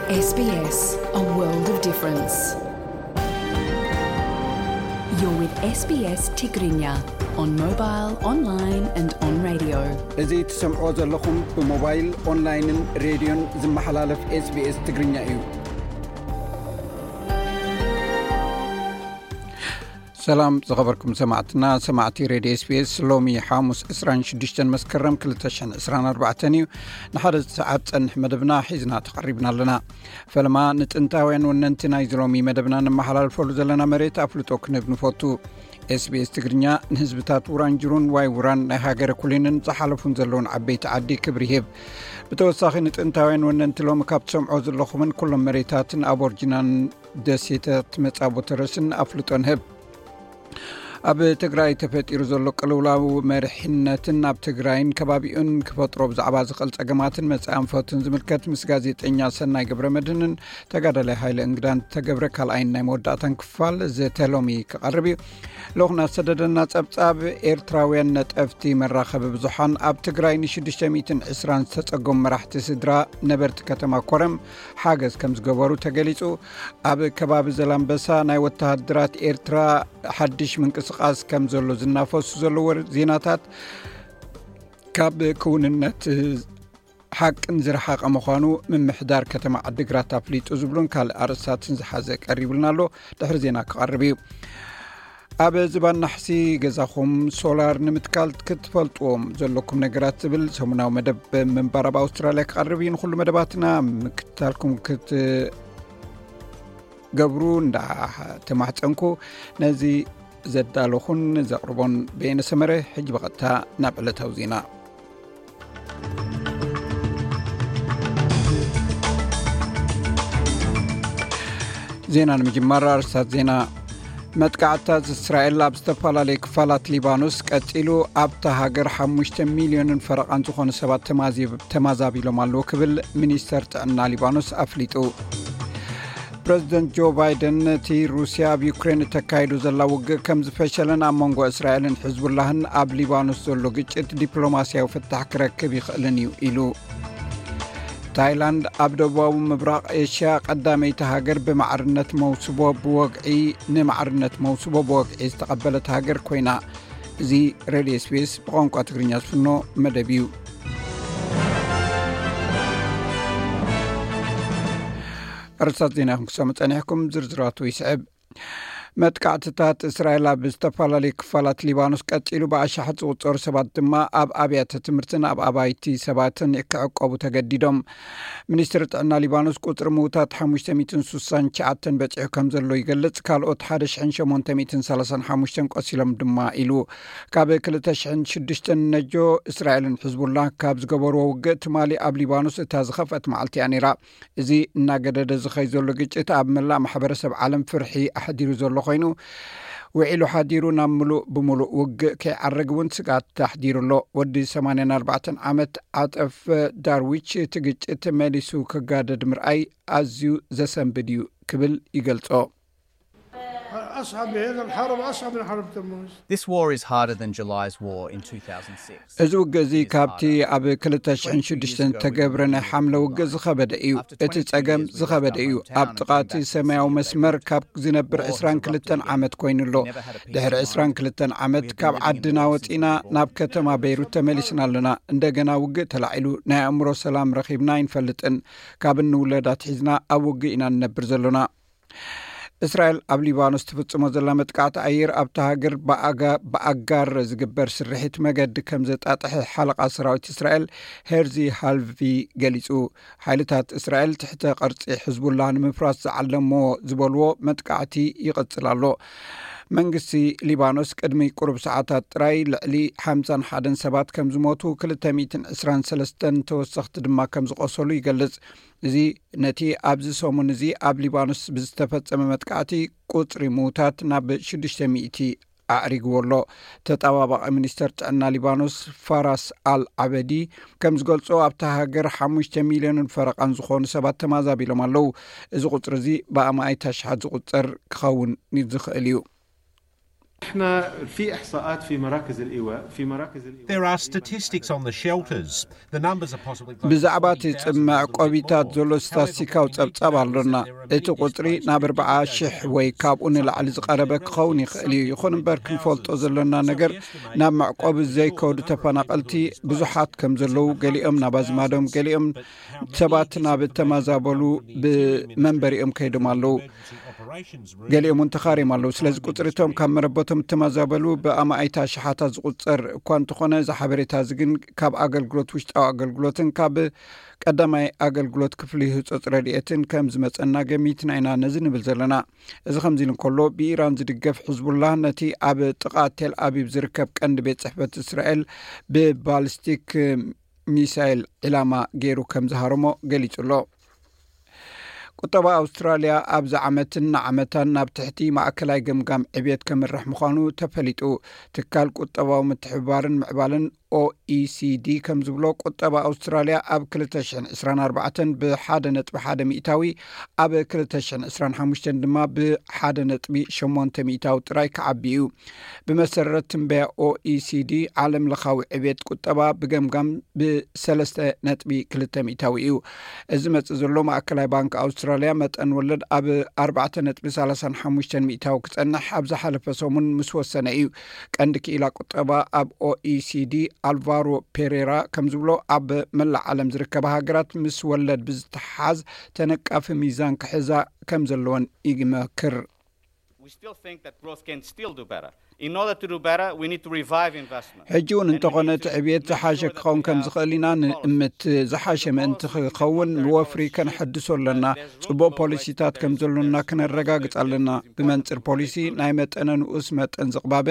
S B S, a world of difference. You're with S B S Tigrinya on mobile, online and on radio. እዚ ትሰምዕዎ ዘለኹም ብሞባይል፣ ኦንላይንን ሬድዮን ዝመሓላለፍ S B S ትግርኛ እዩ። ሰላም ዝኸበርኩም ሰማዕትና፣ ሰማዕቲ ሬድዮ S B S፣ ሎሚ ሓሙስ ዕስራን ሽዱሽተን መስከረም ክልተ ሽሕን ዕስራን ኣርባዕተን እዩ። ንሓደ ሰዓት ጸንሕ መደብና ሒዝና ተቐሪብና ኣለና። ፈለማ ንጥንታውያን ወነንቲ ናይዚ ሎሚ መደብና ንመሓላልፈሉ ዘለና መሬት ኣፍልጦ ክንህብ ንፈቱ። S B S ትግርኛ ንህዝብታት ውራንጅሩን ዋይ ውራን ናይ ሃገረ ኩሊንን ዝሓለፉን ዘለውን ዓበይቲ ዓዲ ክብሪ ይህብ። ብተወሳኺ ንጥንታውያን ወነንቲ ሎሚ ካብ ትሰምዖ ዘለኹምን ኩሎም መሬታትን ኣቦርጅናን ደሴታት መጻቦ ተረስን ኣፍልጦ ንህብ። ኣብ ትግራይ ተፈጢሩ ዘሎ ቅልውላው መሪሕነትን ኣብ ትግራይን ከባቢኡን ክፈጥሮ ብዛዕባ ዝኽእል ጸገማትን መጻኢ ኣንፈቱን ዝምልከት ምስ ጋዜጠኛ ሰናይ ገብረ መድህንን ተጋዳላይ ሃይለ እንግዳን ተገብረ ካልኣይን ናይ መወዳእታን ክፋል ዘተ ሎሚ ክቐርብ እዩ። ልኡኽና ዝሰደደና ጸብጻብ፣ ኤርትራውያን ነጠፍቲ መራኸቢ ብዙሓን ኣብ ትግራይ ንሽዱሽተ ሚእትን ዕስራን ዝተጸገሙ መራሕቲ ስድራ ነበርቲ ከተማ ኮረም ሓገዝ ከም ዝገበሩ ተገሊጹ። ኣብ ከባቢ ዘላምበሳ ናይ ወተሃደራት ኤርትራ ሓድሽ ምንቅስቓስ ከም ዘሎ ዝናፈሱ ዘለዉ ዜናታት ካብ ክውንነት ሓቅን ዝረሓቐ ምዃኑ ምምሕዳር ከተማ ዓዲግራት ኣፍሊጡ ዝብሉን ካልእ ኣርእስታትን ዝሓዘ ቀሪቡልና ኣሎ። ድሕሪ ዜና ክቐርብ እዩ። ኣብ ዝባን ናሕሲ ገዛኹም ሶላር ንምትካል ክትፈልጥዎም ዘለኩም ነገራት ዝብል ሰሙናዊ መደብ ምንባር ኣብ ኣውስትራልያ ክቐርብ እዩ። ንኹሉ መደባትና ምክትታልኩም ክት ገብሩ እንዳተማሕጸንኩ፣ ነዚ ዘዳለኹን ዘቕርቦን በየነ ሰመረ። ሕጂ ብቐጥታ ናብ ዕለታዊ ዜና። ዜና ንምጅማር ኣርእስታት ዜና። መጥቃዕትታት እስራኤል ኣብ ዝተፈላለዩ ክፋላት ሊባኖስ ቀጺሉ፣ ኣብታ ሃገር ሓሙሽተ ሚልዮንን ፈረቓን ዝኾኑ ሰባት ተማዚ-፣ ተማዛቢሎም ኣለዉ ክብል ሚኒስተር ጥዕና ሊባኖስ ኣፍሊጡ። ፕረዚደንት ጆ ባይደን ነቲ ሩስያ ኣብ ዩክሬን እተካይዶ ዘላ ውግእ ከም ዝፈሸለን ኣብ መንጎ እስራኤልን ሕዝቡላህን ኣብ ሊባኖስ ዘሎ ግጭት ዲፕሎማስያዊ ፍታሕ ክረክብ ይኽእልን እዩ ኢሉ። ታይላንድ ኣብ ደቡባዊ ምብራቕ ኤሽያ ቀዳመይቲ ሃገር ብማዕርነት መውስቦ ብወግዒ፣ ንማዕርነት መውስቦ ብወግዒ ዝተቐበለት ሃገር ኮይና። እዚ ሬድዮ S B S ብቋንቋ ትግርኛ ዝፍኖ መደብ እዩ። ኣርእስታት ዜና ኢኹም ክሰሙ ጸኒሕኩም፣ ዝርዝራቱ ይስዕብ። መጥቃዕትታት እስራኤል ኣብ ዝተፈላለዩ ክፋላት ሊባኖስ ቀጺሉ፣ ብኣሽሓት ዝቑጸሩ ሰባት ድማ ኣብ ኣብያተ ትምህርትን ኣብ ኣባይቲ ሰባትን ክዕቆቡ ተገዲዶም። ሚኒስትሪ ጥዕና ሊባኖስ ቁጽሪ ምዉታት ሓሙሽተ ሚእትን ስሳን ትሽዓተን በጺሑ ከም ዘሎ ይገልጽ፣ ካልኦት ሓደ ሽሕን ሸሞንተ ሚእትን ሰላሳን ሓሙሽተን ቆሲሎም ድማ ኢሉ። ካብ ክልተ ሽሕን ሽዱሽተን ነጆ እስራኤልን ሕዝቡላ ካብ ዝገበርዎ ውግእ ትማሊ ኣብ ሊባኖስ እታ ዝኸፍአት መዓልቲ እያ ነይራ። እዚ እናገደደ ዝኸይ ዘሎ ግጭት ኣብ መላእ ማሕበረሰብ ዓለም ፍርሒ ኣሕዲሩ ዘሎ ኮይኑ፣ ውዒሉ ሓዲሩ ናብ ምሉእ ብምሉእ ውግእ ከይዓረግ እውን ስግኣት ኣሕዲሩ ኣሎ። ወዲ ሰማንያን ኣርባዕተን ዓመት ዓጠፍ ዳርዊች እቲ ግጭት መሊሱ ክጋደድ ምርኣይ ኣዝዩ ዘሰንብድ እዩ ክብል ይገልጾ። أصعب، هذا الحرب أصعب من حرب تموز. This war is harder than July's war in two thousand six. እዚ ውግእ እዚ ካብቲ ኣብ ክልተ ሽሕን ሽዱሽተን ዝተገብረ ናይ ሓምለ ውግእ ዝኸበደ እዩ። እቲ ጸገም ዝኸበደ እዩ። ኣብ ጥቓ እቲ ሰማያዊ መስመር ካብ ዝነብር ዕስራን ክልተን ዓመት ኮይኑ ኣሎ። ድሕሪ ዕስራን ክልተን ዓመት ካብ ዓድና ወጺና ናብ ከተማ ቤይሩት ተመሊስና ኣለና። እንደገና ውግእ ተላዒሉ ናይ ኣእምሮ ሰላም ረኺብና ኣይንፈልጥን። ካብ እንውለድ ኣትሒዝና ኣብ ውግእ ኢና ንነብር ዘሎና። እስራኤል ኣብ ሊባኖስ ትፍጽሞ ዘላ መጥቃዕቲ ኣየር ኣብታ ሃገር ብኣጋ-፣ ብኣጋር ዝግበር ስርሒት መገዲ ከም ዘጣጥሐ ሓለቓ ሰራዊት እስራኤል ሄርዚ ሃልቪ ገሊጹ። ሓይልታት እስራኤል ትሕተ ቅርጺ ሕዝቡላ ንምፍራስ ዝዓለሞ ዝበልዎ መጥቃዕቲ ይቕጽል ኣሎ። መንግስቲ ሊባኖስ ቅድሚ ቁሩብ ሰዓታት ጥራይ ልዕሊ ሓምሳን ሓደን ሰባት ከም ዝሞቱ፣ ክልተ ሚእትን ዕስራን ሰለስተን ተወሰኽቲ ድማ ከም ዝቖሰሉ ይገልጽ። እዚ ነቲ ኣብዚ ሰሙን እዚ ኣብ ሊባኖስ ብዝተፈጸመ መጥቃዕቲ ቁጽሪ ምዉታት ናብ ሽዱሽተ ሚእቲ ኣዕሪግዎ ኣሎ። ተጣባባቒ ሚኒስተር ጥዕና ሊባኖስ ፋራስ ኣል ዓበዲ ከም ዝገልጾ፣ ኣብታ ሃገር ሓሙሽተ ሚልዮንን ፈረቓን ዝኾኑ ሰባት ተማዛቢሎም ኣለዉ። እዚ ቁጽሪ እዚ ብኣማኢት ኣሽሓት ዝቑጸር ክኸውን ዝኽእል እዩ። احنا في احصاءات في مراكز الايواء في مراكز الايواء There are statistics on the shelters. The numbers are possibly ብዛዕባ እቲ ጽምዕ ቆቢታት ዘሎ ስታስቲካዊ ጸብጻብ ኣሎና። እቲ ቁጽሪ ናብ ኣርባዓ ሽሕ ወይ ካብኡ ንላዕሊ ዝቐረበ ክኸውን ይኽእል እዩ። ይኹን እምበር ክንፈልጦ ዘሎና ነገር ናብ መዕቆቢ ዘይከዱ ተፈናቐልቲ ብዙሓት ከም ዘለዉ፣ ገሊኦም ናብ ኣዝማዶም፣ ገሊኦም ሰባት ናብ እተመዛበሉ ብመንበሪኦም ከይዶም ኣለዉ። ገሊኦም እውን ተኻርዮም ኣለዉ። ስለዚ ቁጽሪ እቶም ካብ መረበቶም እተመዛበሉ ብኣማኢት ኣሽሓት ዝቑጸር እኳ እንተኾነ፣ እዚ ሓበሬታ እዚ ግን ካብ ኣገልግሎት ውሽጣዊ ኣገልግሎትን ካብ ቀዳማይ ኣገልግሎት ክፍሊ ህጹጽ ረድኤትን ከም ዝመጸና ገሚትና ኢና ነዚ ንብል ዘለና። እዚ ከምዚ ኢሉ እንከሎ፣ ብኢራን ዝድገፍ ሕዝቡላህ ነቲ ኣብ ጥቓ ቴል ኣቢብ ዝርከብ ቀንዲ ቤት ጽሕፈት እስራኤል ብባሊስቲክ ሚሳይል ዒላማ ገይሩ ከም ዝሃረሞ ገሊጹ ኣሎ። ቁጠባ ኣውስትራልያ ኣብዚ ዓመትን ንዓመታን ናብ ትሕቲ ማእከላይ ገምጋም ዕብየት ከምርሕ ምዃኑ ተፈሊጡ። ትካል ቁጠባዊ ምትሕብባርን ምዕባለን ኦኢሲዲ ከም ዝብሎ፣ ቁጠባ ኣውስትራልያ ኣብ ክልተ ሽሕን ዕስራን ኣርባዕተን ብሓደ ነጥቢ ሓደ ሚእታዊ፣ ኣብ ክልተ ሽሕን ዕስራን ሓሙሽተን ድማ ብሓደ ነጥቢ ሸሞንተ ሚእታዊ ጥራይ ክዓቢ እዩ። ብመሰረት ትንበያ ኦኢሲዲ፣ ዓለም ለኻዊ ዕብየት ቁጠባ ብገምጋም ብሰለስተ ነጥቢ ክልተ ሚእታዊ እዩ። እዚ መጽእ ዘሎ፣ ማእከላይ ባንክ ኣውስትራልያ መጠን ወለድ ኣብ ኣርባዕተ ነጥቢ ሰላሳን ሓሙሽተን ሚእታዊ ክጸንሕ ኣብ ዝሓለፈ ሰሙን ምስ ወሰነ እዩ። ቀንዲ ክኢላ ቁጠባ ኣብ ኦኢሲዲ ኣልቫሮ ፔሬራ ከም ዝብሎ፣ ኣብ መላእ ዓለም ዝርከባ ሃገራት ምስ ወለድ ብዝተሓዝ ተነቃፊ ሚዛን ክሕዛ ከም ዘለወን ይመክር። We still think that growth can still do better. In order to do better, we need to revive investment. ሕጂ እውን እንተኾነ፣ እቲ ዕብየት ዝሓሸ ክኸውን ከም ዝኽእል ኢና ንእምት። ዝሓሸ ምእንቲ ክኸውን፣ ብወፍሪ ከነሐድሶ ኣለና። ጽቡቕ ፖሊሲታት ከም ዘሎና ክነረጋግጽ ኣለና። ብመንጽር ፖሊሲ፣ ናይ መጠነ ንኡስ መጠን ዝቕባበ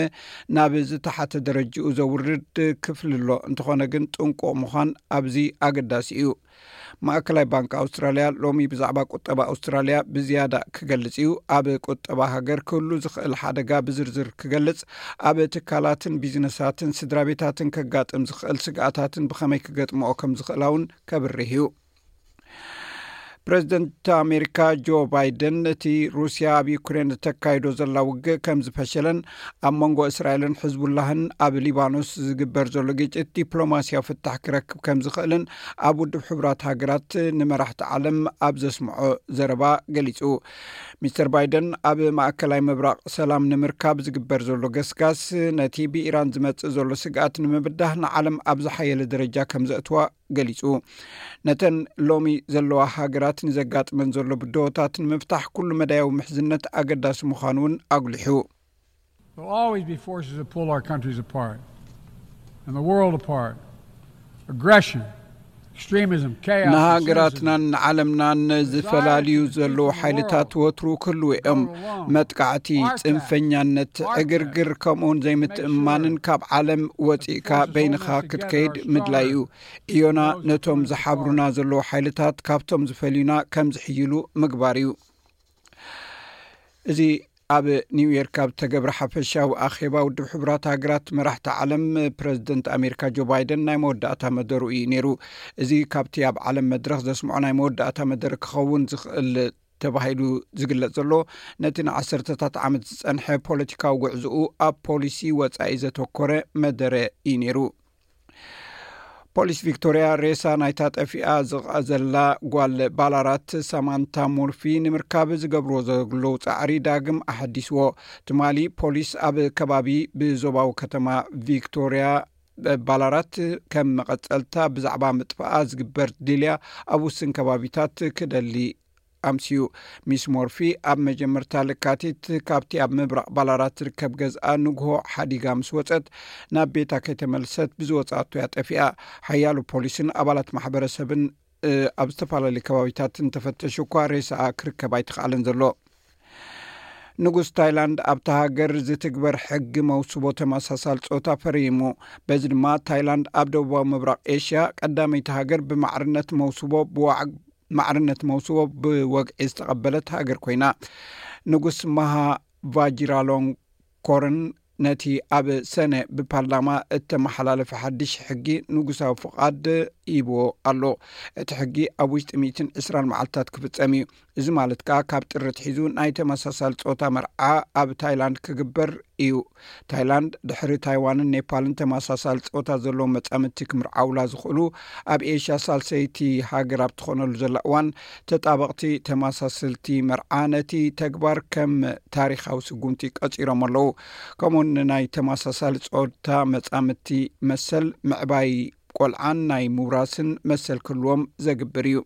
ናብ ዝተሓተ ደረጅኡ ዘውርድ ክፍሊ ኣሎ። እንተኾነ ግን፣ ጥንቁቕ ምዃን ኣብዚ ኣገዳሲ እዩ። ማእከላይ ባንክ ኣውስትራልያ ሎሚ ብዛዕባ ቁጠባ ኣውስትራልያ ብዝያዳ ክገልጽ እዩ። ኣብ ቁጠባ ሃገር ክህሉ ዝኽእል ሓደጋ ብዝርዝር ክገልጽ፣ ኣብ ትካላትን ቢዝነሳትን ስድራ ቤታትን ከጋጥም ዝኽእል ስግኣታትን ብኸመይ ክገጥምኦ ከም ዝኽእላ እውን ከብርህ እዩ። ፕረዚደንት ኣሜሪካ ጆ ባይደን፣ እቲ ሩስያ ኣብ ዩክሬን እተካይዶ ዘላ ውግእ ከም ዝፈሸለን ኣብ መንጎ እስራኤልን ሕዝቡላህን ኣብ ሊባኖስ ዝግበር ዘሎ ግጭት ዲፕሎማስያዊ ፍታሕ ክረክብ ከም ዝኽእልን ኣብ ውድብ ሕቡራት ሃገራት ንመራሕቲ ዓለም ኣብ ዘስምዖ ዘረባ ገሊጹ። ሚስተር ባይደን፣ ኣብ ማእከላይ ምብራቕ ሰላም ንምርካብ ዝግበር ዘሎ ገስጋስ፣ ነቲ ብኢራን ዝመጽእ ዘሎ ስግኣት ንምብዳህ ንዓለም ኣብ ዝሓየለ ደረጃ ከም ዘእትዋ ገሊጹ። ነተን ሎሚ ዘለዋ ሃገራት ንዘጋጥመን ዘሎ ብድሆታት ንምፍታሕ ኩሉ መዳያዊ ምሕዝነት ኣገዳሲ ምዃኑ እውን ኣጉሊሑ። There'll always be forces that pull our countries apart and the world apart. Aggression, extremism, chaos, and cynicism. ንሃገራትናን ንዓለምናን ዝፈላልዩ ዘለዉ ሓይልታት ወትሩ ክህልዉ እዮም። መጥቃዕቲ፣ ጽንፈኛነት፣ ዕግርግር፣ ከምኡውን ዘይምትእምማንን ካብ ዓለም ወጺእካ በይንኻ ክትከይድ ምድላይ እዩ። እዮና ነቶም ዝሓብሩና ዘለዉ ሓይልታት ካብቶም ዝፈልዩና ከም ዝሕይሉ ምግባር እዩ። እዚ ኣብ ኒውዮርክ ኣብ ተገብረ ሓፈሻዊ ኣኼባ ውድብ ሕቡራት ሃገራት መራሕቲ ዓለም፣ ፕረዚደንት ኣሜሪካ ጆ ባይደን ናይ መወዳእታ መደሩ እዩ ነይሩ። እዚ ካብቲ ኣብ ዓለም መድረኽ ዘስምዖ ናይ መወዳእታ መደረ ክኸውን ዝኽእል ተባሂሉ ዝግለጽ ዘሎ፣ ነቲ ንዓሰርተታት ዓመት ዝጸንሐ ፖለቲካዊ ጉዕዞኡ ኣብ ፖሊሲ ወጻኢ ዘተኮረ መደረ እዩ ነይሩ። ፖሊስ ቪክቶርያ ሬሳ ናይታ ጠፊኣ ዝቐዘላ ጓል ባላራት ሳማንታ ሙርፊ ንምርካብ ዝገብርዎ ዘለዉ ጻዕሪ ዳግም ኣሐዲስዎ። ትማሊ ፖሊስ ኣብ ከባቢ ብዞባዊ ከተማ ቪክቶርያ ባላራት ከም መቐጸልታ ብዛዕባ ምጥፋኣ ዝግበር ድልያ ኣብ ውስን ከባቢታት ክደሊ ኣምስዩ። ሚስ ሞርፊ ኣብ መጀመርታ ለካቲት ካብቲ ኣብ ምብራቕ ባላራት ዝርከብ ገዝኣ ንግሆ ሓዲጋ ምስ ወጸት፣ ናብ ቤታ ከይተመልሰት ብዝወጻቶ እያ ጠፊኣ። ሓያሎ ፖሊስን ኣባላት ማሕበረሰብን ኣብ ዝተፈላለዩ ከባቢታት እንተፈተሹ እኳ ሬሳኣ ክርከብ ኣይተኻእለን ዘሎ። ንጉስ ታይላንድ ኣብታ ሃገር ዝትግበር ሕጊ መውስቦ ተመሳሳል ጾታ ፈሪሙ። በዚ ድማ ታይላንድ ኣብ ደቡባዊ ምብራቕ ኤሽያ ቀዳመይቲ ሃገር ብማዕርነት መውስቦ ብዋዕ ማዕርነት መውስቦ ብወግዒ ዝተቐበለት ሃገር ኮይና። ንጉስ ማሃ ቫጂራሎንኮርን ነቲ ኣብ ሰነ ብፓርላማ እተመሓላለፈ ሓድሽ ሕጊ ንጉሳዊ ፍቓድ ይብዎ ኣሎ። እቲ ሕጊ ኣብ ውሽጢ ሚእትን ዕስራን መዓልታት ክፍጸም እዩ። እዚ ማለት ከኣ ካብ ጥሪ ኣትሒዙ ናይ ተመሳሳሊ ጾታ መርዓ ኣብ ታይላንድ ክግበር እዩ። ታይላንድ ድሕሪ ታይዋንን ኔፓልን ተመሳሳሊ ጾታ ዘለዎም መጻምድቲ ክምርዓውላ ዝኽእሉ ኣብ ኤሽያ ሳልሰይቲ ሃገር ኣብ ትኾነሉ ዘላ እዋን፣ ተጣበቕቲ ተመሳሰልቲ መርዓ ነቲ ተግባር ከም ታሪኻዊ ስጉምቲ ቀጺሮም ኣለዉ። ከምኡውን ንናይ ተመሳሳሊ ጾታ መጻምድቲ መሰል ምዕባይ ቆልዓን ናይ ምውራስን መሰል ክህልዎም ዘግብር እዩ።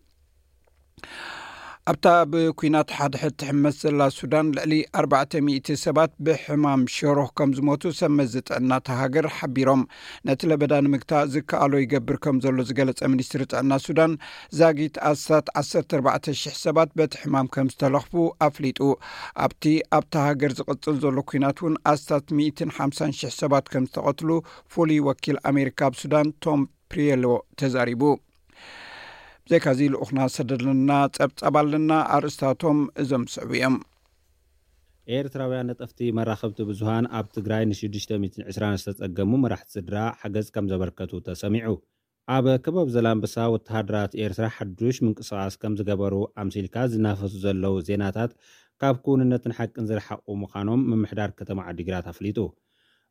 ኣብታ ብኲናት ሓድሕድ ትሕመስ ዘላ ሱዳን፣ ልዕሊ ኣርባዕተ ሚእቲ ሰባት ብሕማም ሸሮኽ ከም ዝሞቱ ሰብ መዚ ጥዕና እታ ሃገር ሓቢሮም። ነቲ ለበዳ ንምግታእ ዝከኣሎ ይገብር ከም ዘሎ ዝገለጸ ሚኒስትሪ ጥዕና ሱዳን፣ ዛጊት ኣስታት ዓሰርተ ኣርባዕተ ሽሕ ሰባት በቲ ሕማም ከም ዝተለኽፉ ኣፍሊጡ። ኣብቲ ኣብታ ሃገር ዝቕጽል ዘሎ ኲናት እውን ኣስታት ሚእትን ሓምሳን ሽሕ ሰባት ከም ዝተቐትሉ ፍሉይ ወኪል ኣሜሪካ ኣብ ሱዳን ቶም ፕሪየሎ ተዛሪቡ። ብዘይካዚ ልኡኽና ሰደድልና ጸብጻብ ኣለና። ኣርእስታቶም እዞም ዝስዕቡ እዮም። ኤርትራውያን ነጠፍቲ መራኸብቲ ብዙሃን ኣብ ትግራይ ን ሽዱሽተ ሚእትን ዕስራን ዝተጸገሙ መራሕቲ ስድራ ሓገዝ ከም ዘበርከቱ ተሰሚዑ። ኣብ ከባቢ ዘላንበሳ ወተሃደራት ኤርትራ ሓዱሽ ምንቅስቓስ ከም ዝገበሩ ኣምሲልካ ዝናፈሱ ዘለዉ ዜናታት ካብ ክውንነትን ሓቅን ዝረሓቑ ምዃኖም ምምሕዳር ከተማ ዓዲግራት ኣፍሊጡ።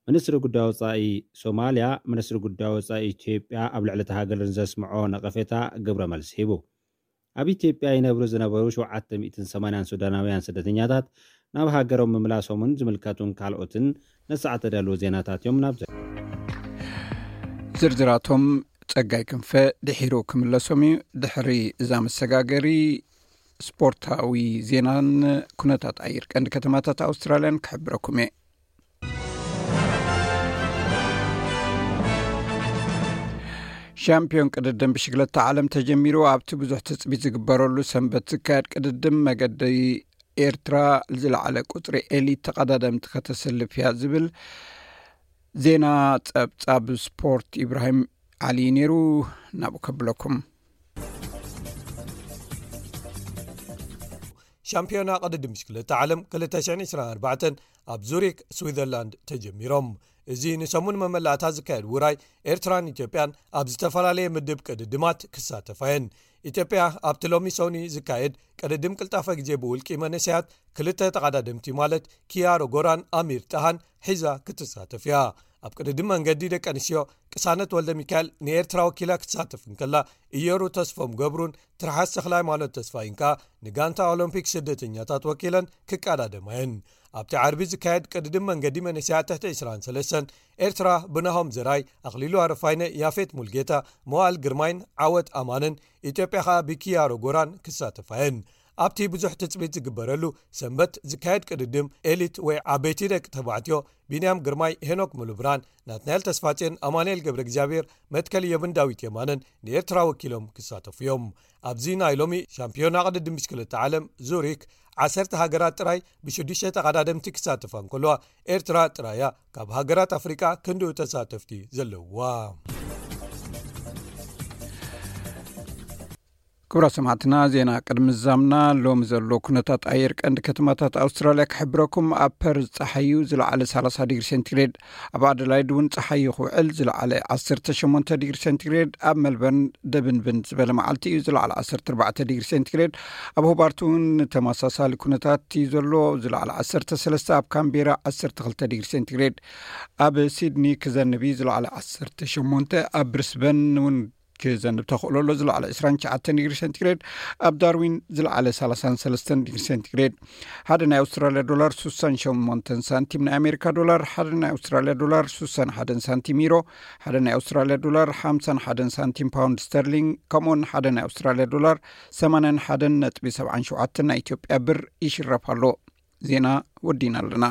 ሚኒስትሪ ጉዳይ ወጻኢ ሶማልያ፣ ሚኒስትሪ ጉዳይ ወጻኢ ኢትዮጵያ ኣብ ልዕሊ እታ ሃገር ንዘስምዖ ነቐፌታ ግብረ መልሲ ሂቡ። ኣብ ኢትዮጵያ ይነብሩ ዝነበሩ ሸውዓተ ሚእትን ሰማንያን ሱዳናውያን ስደተኛታት ናብ ሃገሮም ምምላሶምን ዝምልከቱን ካልኦትን ነሳዕ ተዳልዎ ዜናታት እዮም። ናብ ዝርዝራቶም ጸጋይ ክንፈ ድሒሩ ክምለሶም እዩ። ድሕሪ እዛ መሰጋገሪ ስፖርታዊ ዜናን ኩነታት ኣየር ቀንዲ ከተማታት ኣውስትራልያን ክሕብረኩም እየ። ሻምፒዮን ቅድድም ብሽግለታ ዓለም ተጀሚሩ። ኣብቲ ብዙሕ ትጽቢት ዝግበረሉ ሰንበት ዝካየድ ቅድድም፣ መገዲ ኤርትራ ዝለዓለ ቁጽሪ ኤሊት ተቐዳደምቲ ከተሰልፍ እያ ዝብል ዜና ጸብጻብ ስፖርት ኢብራሂም ዓሊ ነይሩ። ናብኡ ከብለኩም። ሻምፒዮና ቅድድም ብሽክለታ ዓለም ክልተ ሽሕን ዕስራን ኣርባዕተን ኣብ ዙሪክ ስዊዘርላንድ ተጀሚሮም። እዚ ንሰሙን መመላእታ ዝካየድ ውራይ ኤርትራን ኢትዮጵያን ኣብ ዝተፈላለየ ምድብ ቅድድማት ክሳተፋ እየን። ኢትዮጵያ ኣብቲ ሎሚ ሰኒ ዝካየድ ቅድድም ቅልጣፈ ግዜ ብውልቂ መነሰያት ክልተ ተቐዳደምቲ ማለት ኪያሮ ጎራን ኣሚር ጣሃን ሒዛ ክትሳተፍ እያ። ኣብ ቅድድም መንገዲ ደቂ ኣንስትዮ ቅሳነት ወልደ ሚካኤል ንኤርትራ ወኪላ ክትሳተፍ እንከላ፣ እየሩ ተስፎም ገብሩን ትርሓስ ተኽለ ሃይማኖት ተስፋይን ከኣ ንጋንታ ኦሎምፒክ ስደተኛታት ወኪለን ክቀዳደማ እየን። ኣብቲ ዓርቢ ዝካየድ ቅድድም መንገዲ መንእሰያት ትሕቲ ዕስራን ሰለስተን ኤርትራ ብናሆም ዘርኣይ፣ ኣኽሊሉ ኣረፋይነ፣ ያፌት ሙልጌታ፣ መዋእል ግርማይን ዓወት ኣማንን፣ ኢትዮጵያ ከኣ ብኪያሮ ጎራን ክሳተፋ እየን። ኣብቲ ብዙሕ ትጽቢት ዝግበረሉ ሰንበት ዝካየድ ቅድድም ኤሊት ወይ ዓበይቲ ደቂ ተባዕትዮ ቢንያም ግርማይ፣ ሄኖክ ሙሉብርሃን፣ ናትናኤል ተስፋጽዮን፣ ኣማኑኤል ገብረ እግዚኣብሔር፣ መትከል የብን ዳዊት የማነን ንኤርትራ ወኪሎም ክሳተፉ እዮም። ኣብዚ ናይ ሎሚ ሻምፒዮና ቅድድም ብሽክለታ ዓለም ዙሪክ ዓሰርተ ሃገራት ጥራይ ብሽዱሽተ ተቐዳደምቲ ክሳተፋ እንከለዋ፣ ኤርትራ ጥራያ ካብ ሃገራት ኣፍሪቃ ክንድኡ ተሳተፍቲ ዘለውዋ። ክቡራት ሰማዕትና፣ ዜና ቅድሚ ዛምና ሎሚ ዘሎ ኩነታት ኣየር ቀንዲ ከተማታት ኣውስትራልያ ክሕብረኩም። ኣብ ፐርዝ ጸሓዩ ዝለዓለ ሰላሳ ዲግሪ ሴንቲግሬድ፣ ኣብ ኣደላይድ እውን ጸሓዩ ክውዕል ዝለዓለ ዓሰርተ ሸሞንተ ዲግሪ ሴንቲግሬድ፣ ኣብ ሜልበርን ደብንብን ዝበለ መዓልቲ እዩ ዝለዓለ ዓሰርተ ኣርባዕተ ዲግሪ ሴንቲግሬድ፣ ኣብ ሆባርት እውን ተመሳሳሊ ኩነታት እዩ ዘሎ ዝለዓለ ዓሰርተ ሰለስተ፣ ኣብ ካምቤራ ዓሰርተ ክልተ ዲግሪ ሴንቲግሬድ፣ ኣብ ሲድኒ ክዘንብ እዩ ዝለዓለ ዓሰርተ ሸሞንተ፣ ኣብ ብሪስበን እውን ክዘንብ ተኽእሎ ኣሎ ዝለዓለ ዕስራን ትሽዓተን ዲግሪ ሴንቲግሬድ፣ ኣብ ዳርዊን ዝለዓለ ሰላሳን ሰለስተን ዲግሪ ሴንቲግሬድ። ሓደ ናይ ኣውስትራልያ ዶላር ሱሳን ሸሞንተን ሳንቲም፣ ናይ ኣሜሪካ ዶላር ሓደ ናይ ኣውስትራልያ ዶላር ሱሳን ሓደን ሳንቲም፣ ዩሮ ሓደ ናይ ኣውስትራልያ ዶላር ሓምሳን ሓደን ሳንቲም፣ ፓውንድ ስተርሊንግ ከምኡውን ሓደ ናይ ኣውስትራልያ ዶላር ሰማንያን ሓደን ነጥቢ ሰብዓን ሸውዓተን ናይ ኢትዮጵያ ብር ይሽረፍ ኣሎ። ዜና ወዲና ኣለና።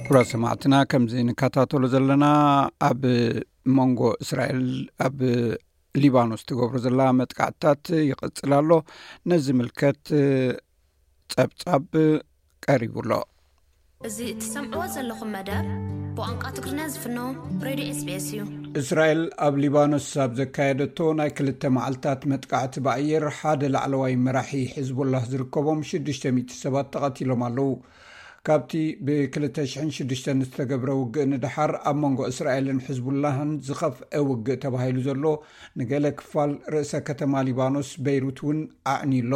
ክቡራት ሰማዕትና፣ ከምዚ ንከታተሎ ዘለና፣ ኣብ መንጎ እስራኤል ኣብ ሊባኖስ ትገብሮ ዘላ መጥቃዕትታት ይቕጽል ኣሎ። ነዚ ምልከት ጸብጻብ ቀሪቡ ኣሎ። እዚ እትሰምዕዎ ዘለኹም መደብ ብቋንቋ ትግርኛ ዝፍኖ ሬድዮ ኤስቢኤስ እዩ። እስራኤል ኣብ ሊባኖስ ኣብ ዘካየደቶ ናይ ክልተ መዓልታት መጥቃዕቲ ብኣየር ሓደ ላዕለዋይ መራሒ ሕዝቡላህ ዝርከቦም ሽዱሽተ ሚእቲ ሰባት ተቐቲሎም ኣለዉ። ካብቲ ብ ክልተ ሽሕን ሽዱሽተን ዝተገብረ ውግእ ንደሓር ኣብ መንጎ እስራኤልን ሕዝቡላህን ዝኸፍአ ውግእ ተባሂሉ ዘሎ ንገለ ክፋል ርእሰ ከተማ ሊባኖስ በይሩት እውን ኣዕንዩ ኣሎ።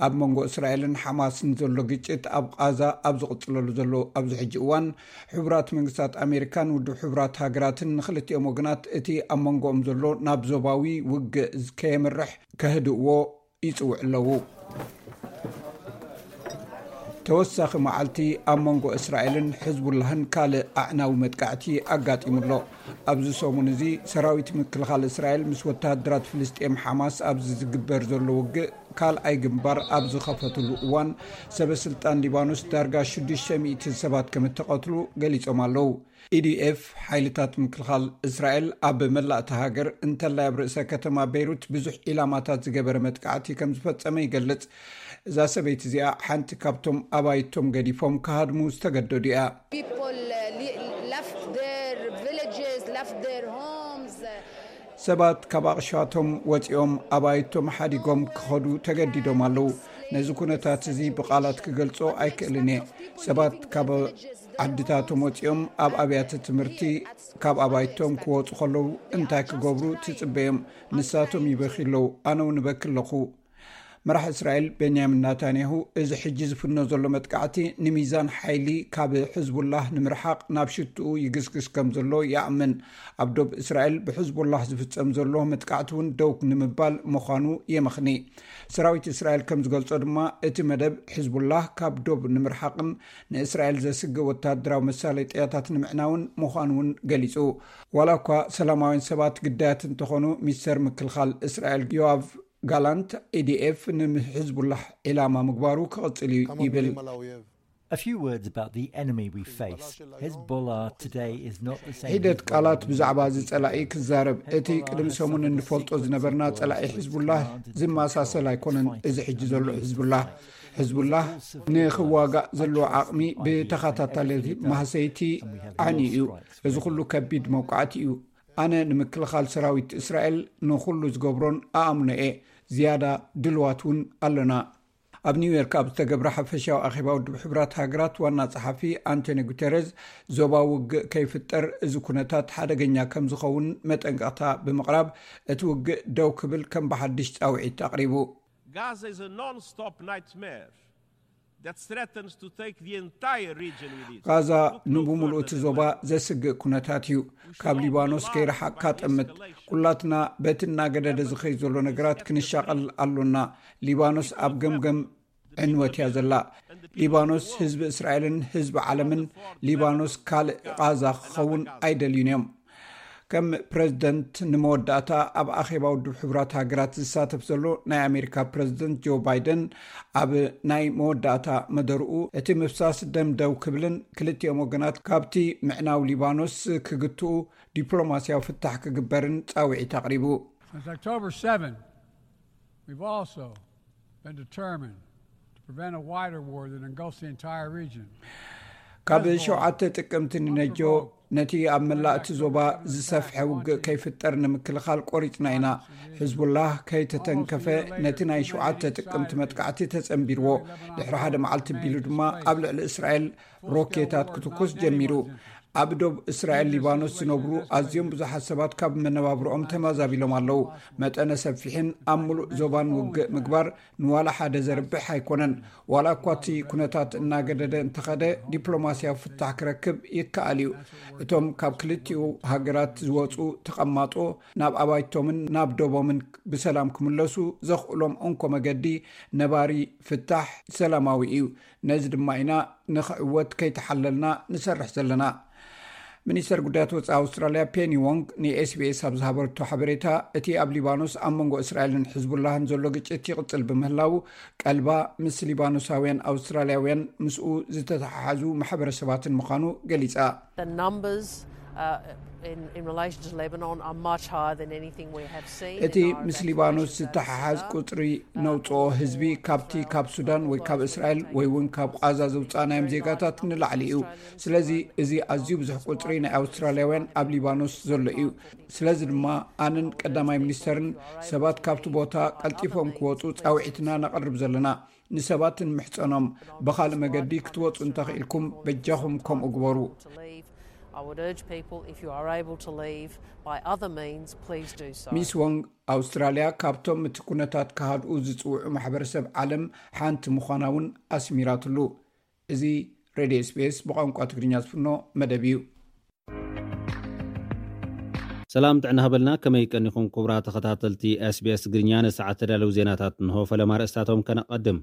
ኣብ መንጎ እስራኤልን ሓማስን ዘሎ ግጭት ኣብ ቓዛ ኣብ ዝቕጽለሉ ዘሎ ኣብዚ ሕጂ እዋን፣ ሕቡራት መንግስታት ኣሜሪካን ውድብ ሕቡራት ሃገራትን ንኽልቲኦም ወገናት እቲ ኣብ መንጎኦም ዘሎ ናብ ዞባዊ ውግእ ከየምርሕ ከህድእዎ ይጽውዕ ኣለዉ። ተወሳኺ መዓልቲ ኣብ መንጎ እስራኤልን ሕዝቡላህን ካልእ ኣዕናዊ መጥቃዕቲ ኣጋጢሙ ኣሎ። ኣብዚ ሰሙን እዚ ሰራዊት ምክልኻል እስራኤል ምስ ወተሃደራት ፍልስጤም ሓማስ ኣብዚ ዝግበር ዘሎ ውግእ ካልኣይ ግንባር ኣብ ዝኸፈትሉ እዋን፣ ሰበ ስልጣን ሊባኖስ ዳርጋ ሽዱሽተ ሚእቲ ሰባት ከም እተቐትሉ ገሊጾም ኣለዉ። ኢዲኤፍ ሓይልታት ምክልኻል እስራኤል ኣብ መላእቲ ሃገር እንተላይ ኣብ ርእሰ ከተማ ቤይሩት ብዙሕ ኢላማታት ዝገበረ መጥቃዕቲ ከም ዝፈጸመ ይገልጽ። እዛ ሰበይቲ እዚኣ ሓንቲ ካብቶም ኣባይቶም ገዲፎም ክሃድሙ ዝተገደዱ እያ። People uh, li- left their villages, left their homes. Uh, ሰባት ካብ ኣቕሻቶም ወፂኦም ኣባይቶም ሓዲጎም ክኸዱ ተገዲዶም ኣለዉ። ነዚ ኩነታት እዚ ብቓላት ክገልጾ ኣይክእልን እየ። ሰባት ካብ ዓድታቶም ወፂኦም ኣብ ኣብያተ ትምህርቲ ካብ ኣባይቶም ክወፁ ከለዉ እንታይ ክገብሩ ትፅበዮም? ንሳቶም ይበኪ ኣለዉ፣ ኣነ እውን እበኪ ኣለኹ። መራሕ እስራኤል ቤንያሚን ናታንያሁ፣ እዚ ሕጂ ዝፍኖ ዘሎ መጥቃዕቲ ንሚዛን ሓይሊ ካብ ሕዝቡላህ ንምርሓቕ ናብ ሽትኡ ይግስግስ ከም ዘሎ ይኣምን። ኣብ ዶብ እስራኤል ብሕዝቡላህ ዝፍጸም ዘሎ መጥቃዕቲ እውን ደው ንምባል ምዃኑ የመኽኒ። ሰራዊት እስራኤል ከም ዝገልጾ ድማ፣ እቲ መደብ ሕዝቡላህ ካብ ዶብ ንምርሓቕን ንእስራኤል ዘስግእ ወታደራዊ መሳለጥያታት ንምዕናውን ምዃኑ እውን ገሊጹ። ዋላ እኳ ሰላማውያን ሰባት ግዳያት እንተኾኑ፣ ሚኒስተር ምክልኻል እስራኤል ዮኣቭ ጋላንት፣ ኢዲኤፍ ንሕዝቡላህ ዒላማ ምግባሩ ክቕጽል እዩ ይብል። A few words about the enemy we face. Hezbollah today is not the same. ሒደት ቃላት ብዛዕባ እዚ ጸላኢ ክዛረብ። እቲ ቅድሚ ሰሙን እንፈልጦ ዝነበርና ጸላኢ ሕዝቡላህ ዝመሳሰል ኣይኮነን። እዚ ሕጂ ዘሎ ሕዝቡላህ፣ ሕዝቡላህ ንኽዋጋእ ዘለዎ ዓቕሚ ብተኸታታሊ ማህሰይቲ ዓኒ እዩ። እዚ ኩሉ ከቢድ መውቃዕቲ እዩ። ኣነ ንምክልኻል ሰራዊት እስራኤል ንኹሉ ዝገብሮን ኣኣምኖ እየ። ዝያዳ ድልዋት እውን ኣሎና። ኣብ ኒውዮርክ ኣብ ዝተገብረ ሓፈሻዊ ኣኼባ ውድብ ሕቡራት ሃገራት ዋና ጸሓፊ ኣንቶኒ ጉተረዝ፣ ዞባ ውግእ ከይፍጠር እዚ ኩነታት ሓደገኛ ከም ዝኸውን መጠንቀቕታ ብምቕራብ፣ እቲ ውግእ ደው ክብል ከም ብሓድሽ ጻውዒት ኣቕሪቡ። Gaza is a non-stop nightmare that threatens to take the entire region with it. ቓዛ ንብምሉኡ እቲ ዞባ ዘስግእ ኩነታት እዩ። ካብ ሊባኖስ ከይረሓቕካ ጠምት። ኩላትና በቲ እናገደደ ዝኸይ ዘሎ ነገራት ክንሻቐል ኣሎና። ሊባኖስ ኣብ ገምገም ዕንወት እያ ዘላ። ሊባኖስ ህዝቢ እስራኤልን ህዝቢ ዓለምን፣ ሊባኖስ ካልእ ቓዛ ክኸውን ኣይደልዩን እዮም። ከም ፕረዚደንት ንመወዳእታ ኣብ ኣኼባ ውድብ ሕቡራት ሃገራት ዝሳተፍ ዘሎ ናይ ኣሜሪካ ፕረዚደንት ጆ ባይደን፣ ኣብ ናይ መወዳእታ መደርኡ፣ እቲ ምፍሳስ ደም ደው ክብልን ክልቲኦም ወገናት ካብቲ ምዕናው ሊባኖስ ክግትኡ ዲፕሎማስያዊ ፍታሕ ክግበርን ጻውዒት ኣቕሪቡ። Since October seven, we've also been determined to prevent a wider war that engulfs the entire region. ካብ ሸውዓተ ጥቅምቲ ንነጆ፣ ነቲ ኣብ መላእ እቲ ዞባ ዝሰፍሐ ውግእ ከይፍጠር ንምክልኻል ቆሪጽና ኢና። ሕዝቡላህ ከይተተንከፈ፣ ነቲ ናይ ሸውዓተ ጥቅምቲ መጥቃዕቲ ተጸንቢርዎ። ድሕሪ ሓደ መዓልቲ ቢሉ ድማ ኣብ ልዕሊ እስራኤል ሮኬታት ክትኩስ ጀሚሩ። ኣብ ዶብ እስራኤል ሊባኖስ ዝነብሩ ኣዝዮም ብዙሓት ሰባት ካብ መነባብሮኦም ተመዛቢሎም ኣለዉ። መጠነ ሰፊሕን ኣብ ምሉእ ዞባን ውግእ ምግባር ንዋላ ሓደ ዘርብሕ ኣይኮነን። ዋላ እኳ እቲ ኩነታት እናገደደ እንተኸደ፣ ዲፕሎማስያዊ ፍታሕ ክረክብ ይከኣል እዩ። እቶም ካብ ክልቲኡ ሃገራት ዝወጹ ተቐማጦ ናብ ኣባይቶምን ናብ ዶቦምን ብሰላም ክምለሱ ዘኽእሎም እንኮ መገዲ ነባሪ ፍታሕ ሰላማዊ እዩ። ነዚ ድማ ኢና ንኽዕወት ከይተሓለልና ንሰርሕ ዘለና። ሚኒስተር ጉዳያት ወጻኢ ኣውስትራልያ ፔኒ ዎንግ ንኤስቢኤስ ኣብ ዝሃበረቶ ሓበሬታ፣ እቲ ኣብ ሊባኖስ ኣብ መንጎ እስራኤልን ሕዝቡላህን ዘሎ ግጭት ይቕጽል ብምህላው፣ ቀልባ ምስ ሊባኖሳውያን ኣውስትራልያውያን ምስኡ ዝተተሓሓዙ ማሕበረሰባትን ምዃኑ ገሊጻ። The numbers uh, in, in relation to Lebanon are much higher than anything we have seen. እቲ ምስ ሊባኖስ ዝተሓሓዝ ቁፅሪ ነውፅኦ ህዝቢ ካብቲ ካብ ሱዳን ወይ ካብ እስራኤል ወይ እውን ካብ ቃዛ ዘውፃእናዮም ዜጋታት ንላዕሊ እዩ። ስለዚ እዚ ኣዝዩ ብዙሕ ቁፅሪ ናይ ኣውስትራልያውያን ኣብ ሊባኖስ ዘሎ እዩ። ስለዚ ድማ ኣነን ቀዳማይ ሚኒስተርን ሰባት ካብቲ ቦታ ቀልጢፎም ክወፁ ፃውዒትና ነቕርብ ዘለና። ንሰባት ንምሕፀኖም፣ ብኻልእ መገዲ ክትወፁ እንተኽኢልኩም በጃኹም ከምኡ ግበሩ። I would urge people, if you are able to leave by other means, please do so. ሚስ ወንግ ኣውስትራልያ ካብቶም እቲ ኩነታት ክሃድኡ ዝፅውዑ ማሕበረሰብ ዓለም ሓንቲ ምዃና እውን ኣስሚራትሉ። እዚ ሬድዮ ኤስቢኤስ ብቋንቋ ትግርኛ ዝፍኖ መደብ እዩ። ሰላም ጥዕና ሃበልና። ከመይ ቀኒኹም ክቡራት ተኸታተልቲ ኤስቢኤስ ትግርኛ? ንሰዓት ተዳለዉ ዜናታት እንሆ። ፈለማ ርእስታቶም ከነቐድም።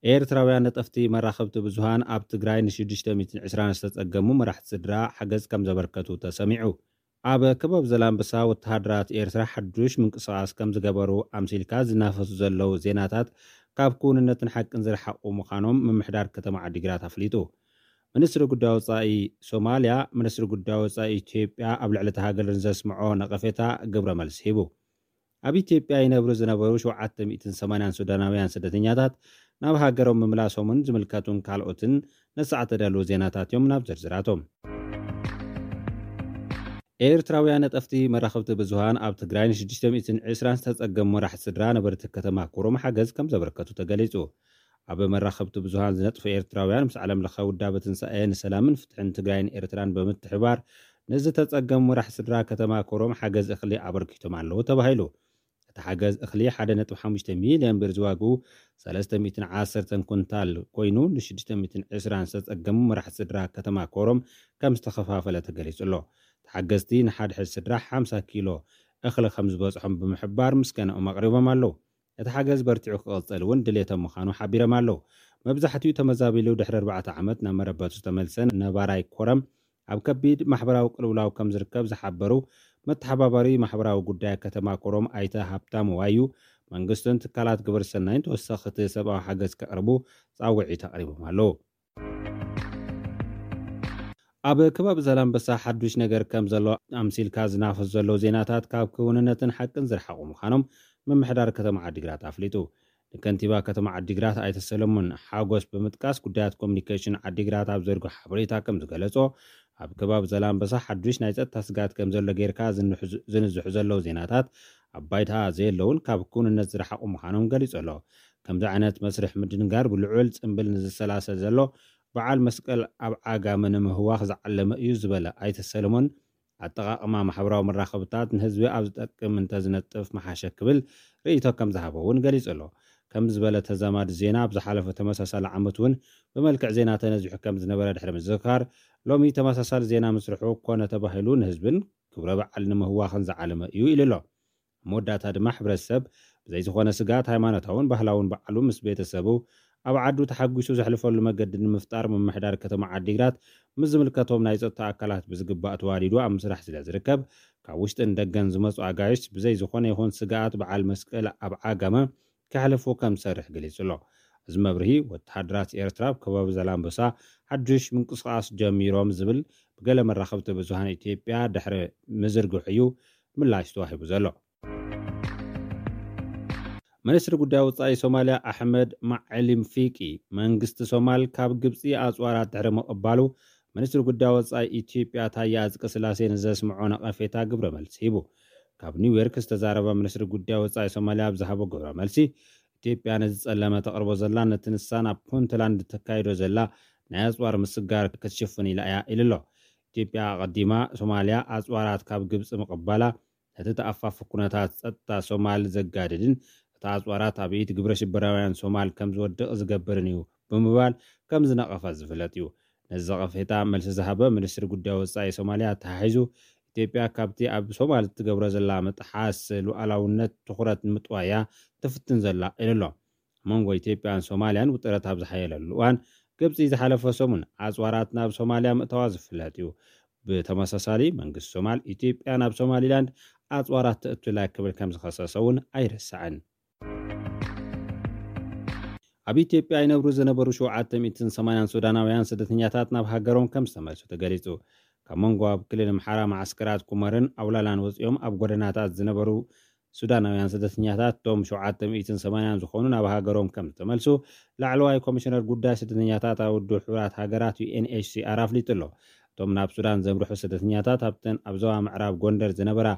ኤርትራውያን ነጠፍቲ መራኸብቲ ብዙሃን ኣብ ትግራይ ን620 ዝተጸገሙ መራሕቲ ስድራ ሓገዝ ከም ዘበርከቱ ተሰሚዑ። ኣብ ከባቢ ዘላንበሳ ወተሃደራት ኤርትራ ሓዱሽ ምንቅስቓስ ከም ዝገበሩ ኣምሲልካ ዝናፈሱ ዘለዉ ዜናታት ካብ ክውንነትን ሓቅን ዝረሓቑ ምዃኖም ምምሕዳር ከተማ ዓዲግራት ኣፍሊጡ። ሚኒስትሪ ጉዳይ ወጻኢ ሶማልያ፣ ሚኒስትሪ ጉዳይ ወጻኢ ኢትዮጵያ ኣብ ልዕሊ እታ ሃገር ንዘስምዖ ነቐፌታ ግብረ መልሲ ሂቡ። ኣብ ኢትዮጵያ ይነብሩ ዝነበሩ 780 ሱዳናውያን ስደተኛታት ናብ ሃገሮም ምምላሶምን ዝምልከቱን ካልኦትን ነሳዕ ተዳለዉ ዜናታት እዮም። ናብ ዝርዝራቶም። ኤርትራውያን ነጠፍቲ መራኸብቲ ብዙሃን ኣብ ትግራይ ን620 ዝተጸገሙ መራሕቲ ስድራ ነበርቲ ከተማ ኮረም ሓገዝ ከም ዘበርከቱ ተገሊጹ። ኣብ መራኸብቲ ብዙሃን ዝነጥፉ ኤርትራውያን ምስ ዓለም ለኸ ውዳበ ትንሳኤ ንሰላምን ፍትሕን ትግራይን ኤርትራን ብምትሕባር ንዝተጸገሙ መራሕቲ ስድራ ከተማ ኮረም ሓገዝ እኽሊ ኣበርኪቶም ኣለዉ ተባሂሉ። እቲ ሓገዝ እኽሊ 1.5 ሚልዮን ብር ዝዋግኡ 310 ኩንታል ኮይኑ ን620 ዝተጸገሙ መራሕቲ ስድራ ከተማ ኮረም ከም ዝተኸፋፈለ ተገሊጹ ኣሎ። ተሓገዝቲ ንሓድሕድ ስድራ 50 ኪሎ እኽሊ ከም ዝበጽሖም ብምሕባር ምስጋናኦም ኣቕሪቦም ኣለዉ። እቲ ሓገዝ በርቲዑ ክቕጽል እውን ድሌቶም ምዃኑ ሓቢሮም ኣለዉ። መብዛሕትኡ ተመዛቢሉ ድሕሪ ኣርባዕተ ዓመት ናብ መረበቱ ዝተመልሰ ነባራይ ኮረም ኣብ ከቢድ ማሕበራዊ ቅልውላው ከም ዝርከብ ዝሓበሩ መተሓባበሪ ማሕበራዊ ጉዳይ ከተማ ኮረም ኣይተ ሃብታሙ ዋዩ መንግስትን ትካላት ግብረ ሰናይን ተወሰኽቲ ሰብኣዊ ሓገዝ ከቕርቡ ጻውዒት ኣቕሪቦም ኣለዉ። ኣብ ከባቢ ዛላምበሳ ሓዱሽ ነገር ከም ዘሎ ኣምሲልካ ዝናፈሱ ዘለዉ ዜናታት ካብ ክውንነትን ሓቅን ዝረሓቑ ምዃኖም ምምሕዳር ከተማ ዓዲግራት ኣፍሊጡ። ንከንቲባ ከተማ ዓዲግራት ኣይተ ሰለሙን ሓጎስ ብምጥቃስ ጉዳያት ኮሚኒኬሽን ዓዲግራት ኣብ ዘርግሖ ሓበሬታ ከም ዝገለጾ ኣብ ከባቢ ዛላምበሳ ሓዱሽ ናይ ጸጥታ ስጋት ከም ዘሎ ጌርካ ዝንዝሑ ዘለዉ ዜናታት ኣብ ባይታ ዘየለውን ካብ ክውንነት ዝረሓቑ ምዃኖም ገሊጹ ኣሎ። ከምዚ ዓይነት መስርሕ ምድንጋር ብልዑል ጽምብል ንዝሰላሰል ዘሎ በዓል መስቀል ኣብ ዓጋመ ንምህዋኽ ዝዓለመ እዩ ዝበለ ኣይተ ሰለሞን ኣጠቓቕማ ማሕበራዊ መራኸብታት ንህዝቢ ኣብ ዝጠቅም እንተዝነጥፍ መሓሸ ክብል ርእይቶ ከም ዝሃበ እውን ገሊጹ ኣሎ። ከም ዝበለ ተዛማዲ ዜና ኣብ ዝሓለፈ ተመሳሳሊ ዓመት እውን ብመልክዕ ዜና ተነዚሑ ከም ዝነበረ ድሕሪ ምዝካር ሎሚ ተመሳሳሊ ዜና ምስርሑ ኮነ ተባሂሉ ንህዝብን ክብረ በዓል ንምህዋኽን ዝዓለመ እዩ ኢሉ ኣሎ። ኣብ መወዳእታ ድማ ሕብረተሰብ ብዘይ ዝኾነ ስግኣት ሃይማኖታውን ባህላውን በዓሉ ምስ ቤተሰቡ ኣብ ዓዱ ተሓጒሱ ዘሕልፈሉ መገዲ ንምፍጣር ምምሕዳር ከተማ ዓዲግራት ምስ ዝምልከቶም ናይ ጸጥታ ኣካላት ብዝግባእ ተዋዲዱ ኣብ ምስራሕ ስለ ዝርከብ ካብ ውሽጥን ደገን ዝመጹ ኣጋይሽ ብዘይ ዝኾነ ይኹን ስግኣት በዓል መስቀል ኣብ ዓጋመ ከሕልፉ ከም ዝሰርሕ ገሊጹ ኣሎ። እዚ መብርሂ ወተሃደራት ኤርትራ ኣብ ከባቢ ዛላምበሳ ሓዱሽ ምንቅስቓስ ጀሚሮም ዝብል ብገለ መራኸብቲ ብዙሃን ኢትዮጵያ ድሕሪ ምዝርግሑ እዩ ምላሽ ተዋሂቡ ዘሎ። ሚኒስትሪ ጉዳይ ወጻኢ ሶማልያ ኣሕመድ ማዕሊም ፊቂ መንግስቲ ሶማል ካብ ግብጺ ኣጽዋራት ድሕሪ ምቕባሉ ሚኒስትሪ ጉዳይ ወጻኢ ኢትዮጵያ ታየ ኣጽቀስላሴ ንዘስምዖ ነቐፌታ ግብረ መልሲ ሂቡ። ካብ ኒውዮርክ ዝተዛረበ ሚኒስትሪ ጉዳይ ወጻኢ ሶማልያ ኣብ ዝሃቦ ግብረ መልሲ ኢትዮጵያ ነዚ ጸለመ ተቕርቦ ዘላ ነቲ ንሳ ናብ ፑንትላንድ ተካይዶ ዘላ ናይ ኣጽዋር ምስጋር ክትሽፍን ኢላ እያ ኢሉ ኣሎ። ኢትዮጵያ ኣቐዲማ ሶማልያ ኣጽዋራት ካብ ግብጺ ምቕባላ ነቲ ተኣፋፊ ኩነታት ጸጥታ ሶማል ዘጋድድን እቲ ኣጽዋራት ኣብ ኢድ ግብረ ሽበራውያን ሶማል ከም ዝወድቕ ዝገብርን እዩ ብምባል ከም ዝነቐፈ ዝፍለጥ እዩ። ነዚ ነቐፌታ መልሲ ዝሃበ ሚኒስትሪ ጉዳይ ወጻኢ ሶማልያ ኣተሓሒዙ ኢትዮጵያ ካብቲ ኣብ ሶማል እትገብሮ ዘላ ምጥሓስ ሉዓላውነት ትኹረት ንምጥዋያ ትፍትን ዘላ ኢሉ ኣሎ። ኣብ መንጎ ኢትዮጵያን ሶማልያን ውጥረት ኣብ ዝሓየለሉ እዋን ግብጺ ዝሓለፈ ሰሙን ኣጽዋራት ናብ ሶማልያ ምእታዋ ዝፍለጥ እዩ። ብተመሳሳሊ መንግስቲ ሶማል ኢትዮጵያ ናብ ሶማሊላንድ ኣጽዋራት ተእቱላ ክብል ከም ዝኸሰሰ እውን ኣይርሳዕን። ኣብ ኢትዮጵያ ይነብሩ ዝነበሩ 780 ሱዳናውያን ስደተኛታት ናብ ሃገሮም ከም ዝተመልሱ ተገሊጹ። ካብ መንጎ ኣብ ክልል ኣምሓራ መዓስከራት ኩመርን ኣውላላን ወፂኦም ኣብ ጎደናታት ዝነበሩ ሱዳናውያን ስደተኛታት፣ እቶም ሸውዓተ ሚእትን ሰማንያን ዝኾኑ፣ ናብ ሃገሮም ከም ዝተመልሱ ላዕለዋይ ኮሚሽነር ጉዳይ ስደተኛታት ኣብ ውድብ ሕቡራት ሃገራት፣ ዩ ኤን ኤች ሲ ኣር፣ ኣፍሊጡ ኣሎ። እቶም ናብ ሱዳን ዘምርሑ ስደተኛታት ኣብተን ኣብ ዞባ ምዕራብ ጎንደር ዝነበራ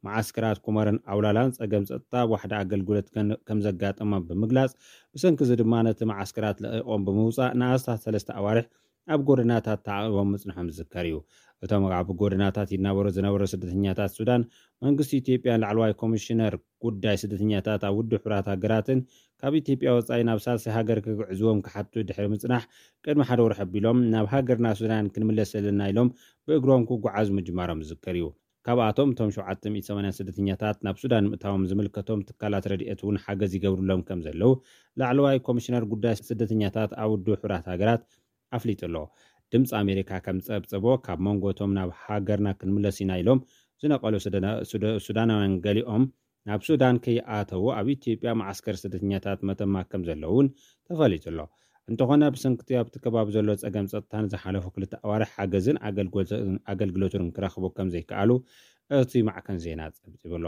መዓስከራት ኩመርን ኣውላላን ጸገም ጸጥታ ኣብ ዋሕዲ ኣገልግሎት ከም ዘጋጠሞም ብምግላጽ፣ ብሰንኪ እዚ ድማ ነቲ መዓስከራት ለቒቖም ብምውጻእ ንኣስታት ሰለስተ ኣዋርሕ ኣብ ጎደናታት ተዓቒቦም ምጽንሖም ዝዝከር እዩ። እቶም ኣብ ጎደናታት ይናበሩ ዝነበሩ ስደተኛታት ሱዳን፣ መንግስቲ ኢትዮጵያን ላዕለዋይ ኮሚሽነር ጉዳይ ስደተኛታት ኣብ ውድብ ሕቡራት ሃገራትን ካብ ኢትዮጵያ ወጻኢ ናብ ሳልሳይ ሃገር ክግዕዝዎም ክሓቱ ድሕሪ ምጽናሕ፣ ቅድሚ ሓደ ወርሒ ኣቢሎም ናብ ሃገርና ሱዳን ክንምለስ ዘለና ኢሎም ብእግሮም ክጓዓዙ ምጅማሮም ዝዝከር እዩ። ካብኣቶም እቶም ሸውዓተ ሚእቲ ሰማንያን ስደተኛታት ናብ ሱዳን ምእታዎም ዝምልከቶም ትካላት ረድኤት እውን ሓገዝ ይገብሩሎም ከም ዘለዉ ላዕለዋይ ኮሚሽነር ጉዳይ ስደተኛታት ኣብ ውድብ ሕቡራት ሃገራት ኣፍሊጡ ኣሎ። ድምፂ ኣሜሪካ ከም ዝፀብፀቦ፣ ካብ መንጎ እቶም ናብ ሃገርና ክንምለስ ኢና ኢሎም ዝነቐሉ ሱዳና- ሱዳ- ሱዳናውያን ገሊኦም ናብ ሱዳን ከይኣተዉ ኣብ ኢትዮጵያ መዓስከር ስደተኛታት መተማ ከም ዘለዉ እውን ተፈሊጡ ኣሎ። እንተኾነ፣ ብሰንክቲ ኣብቲ ከባቢ ዘሎ ጸገም ጸጥታን ዝሓለፉ ክልተ ኣዋርሕ ሓገዝን ኣገልግሎትን ኣገልግሎትን ክረኽቡ ከም ዘይከኣሉ እቲ ማዕከን ዜና ጸብጺቡ ኣሎ።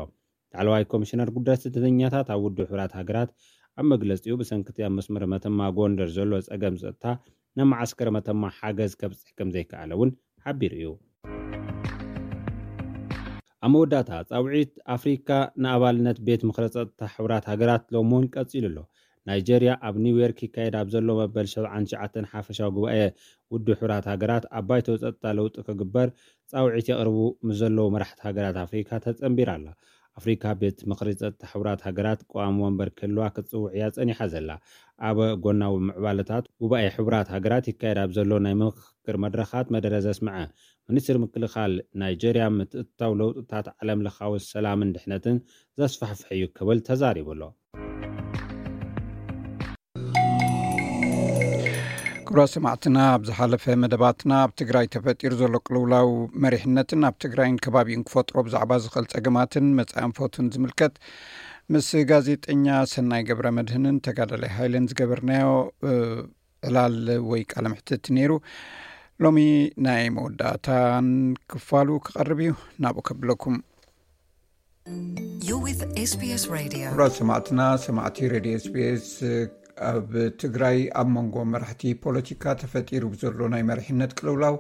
ላዕለዋይ ኮሚሽነር ጉዳይ ስደተኛታት ኣብ ውድብ ሕቡራት ሃገራት ኣብ መግለጺኡ፣ ብሰንክቲ ኣብ መስመር መተማ ጎንደር ዘሎ ጸገም ጸጥታ ናብ መዓስከር መተማ ሓገዝ ከብጽሕ ከም ዘይከኣለ እውን ሓቢሩ እዩ። ኣብ መወዳእታ፣ ጻውዒት ኣፍሪካ ንኣባልነት ቤት ምኽሪ ጸጥታ ሕቡራት ሃገራት ሎሚ እውን ቀጺሉ ኣሎ። ናይጀርያ ኣብ ኒውዮርክ ይካየድ ኣብ ዘሎ መበል ሰብዓን ትሽዓተን ሓፈሻዊ ጉባኤ ውድብ ሕቡራት ሃገራት ኣብ ባይቶ ጸጥታ ለውጢ ክግበር ጻውዒት የቕርቡ ምስ ዘለዉ መራሕቲ ሃገራት ኣፍሪካ ተጸንቢራ ኣላ። ኣፍሪካ ቤት ምኽሪ ጸጥታ ሕቡራት ሃገራት ቀዋሚ ወንበር ክህልዋ ክትጽውዕ እያ ጸኒሓ ዘላ። ኣብ ጎናዊ ምዕባለታት ጉባኤ ሕቡራት ሃገራት ይካየድ ኣብ ዘሎ ናይ ምኽክር መድረኻት መደረ ዘስምዐ ሚኒስትሪ ምክልኻል ናይጀርያ፣ ምትእትታው ለውጥታት ዓለም ለኻዊ ሰላምን ድሕነትን ዘስፋሕፍሕ እዩ ክብል ተዛሪቡ ኣሎ። ክቡራት ሰማዕትና፣ ኣብ ዝሓለፈ መደባትና ኣብ ትግራይ ተፈጢሩ ዘሎ ቅልውላው መሪሕነትን ኣብ ትግራይን ከባቢኡን ክፈጥሮ ብዛዕባ ዝኽእል ጸገማትን መጻኢ ኣንፈቱን ዝምልከት ምስ ጋዜጠኛ ሰናይ ገብረ መድህንን ተጋዳላይ ሃይለን ዝገበርናዮ፣ እ፣ ዕላል ወይ ቃለ መሕትት ነይሩ። ሎሚ ናይ መወዳእታን ክፋሉ ክቐርብ እዩ። ናብኡ ከብለኩም። You're with S B S Radio. ክቡራት ሰማዕትና፣ ሰማዕቲ ሬድዮ ኤስ ቢ ኤስ፣ ኣብ ትግራይ ኣብ መንጎ መራሕቲ ፖለቲካ ተፈጢሩ ብዘሎ ናይ መሪሕነት ቅልውላው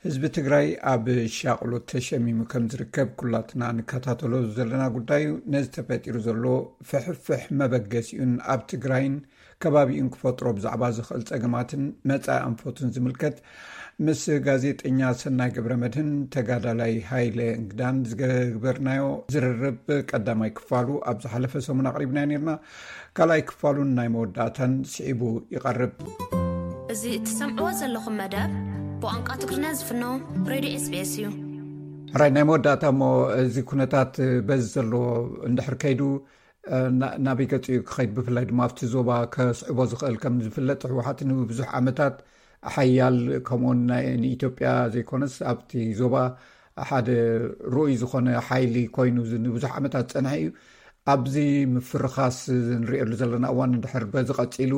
ህዝቢ ትግራይ ኣብ ሻቕሎት ተሸሚሙ ከም ዝርከብ ኩላትና ንከታተሎ ዘለና ጉዳይ እዩ። ነዚ ተፈጢሩ ዘሎ ፍሕፍሕ መበገሲኡን ኣብ ትግራይን ከባቢኡን ክፈጥሮ ብዛዕባ ዝኽእል ጸገማትን መጻኢ ኣንፈቱን ዝምልከት ምስ ጋዜጠኛ ሰናይ ገብረ መድህን ተጋዳላይ ሃይለ እንግዳን ዝገበርናዮ ዝርርብ ቀዳማይ ክፋሉ ኣብ ዝሓለፈ ሰሙን ኣቕሪብናዮ ነርና። ካልኣይ ክፋሉን ናይ መወዳእታን ስዒቡ ይቐርብ። እዚ እትሰምዕዎ ዘለኹም መደብ ብቋንቋ ትግርኛ ዝፍኖ ሬድዮ ኤስ ቢ ኤስ እዩ። ሕራይ፣ ናይ መወዳእታ እሞ፣ እዚ ኩነታት በዚ ዘለዎ እንድሕር ከይዱ፣ እ፣ ና- ናበይ ገጹ እዩ ክኸይድ? ብፍላይ ድማ ኣብቲ ዞባ ከስዕቦ ዝኽእል፣ ከም ዝፍለጥ፣ ህወሓት ንብዙሕ ዓመታት ሓያል፣ ከምኡውን ናይ ንኢትዮጵያ ዘይኮነስ ኣብቲ ዞባ ሓደ ርኡይ ዝኾነ ሓይሊ ኮይኑ ዝ- ንብዙሕ ዓመታት ዝጸንሐ እዩ። ኣብዚ ምፍርኻስ ንሪኤሉ ዘለና እዋን እንድሕር በዚ ቀጺሉ፣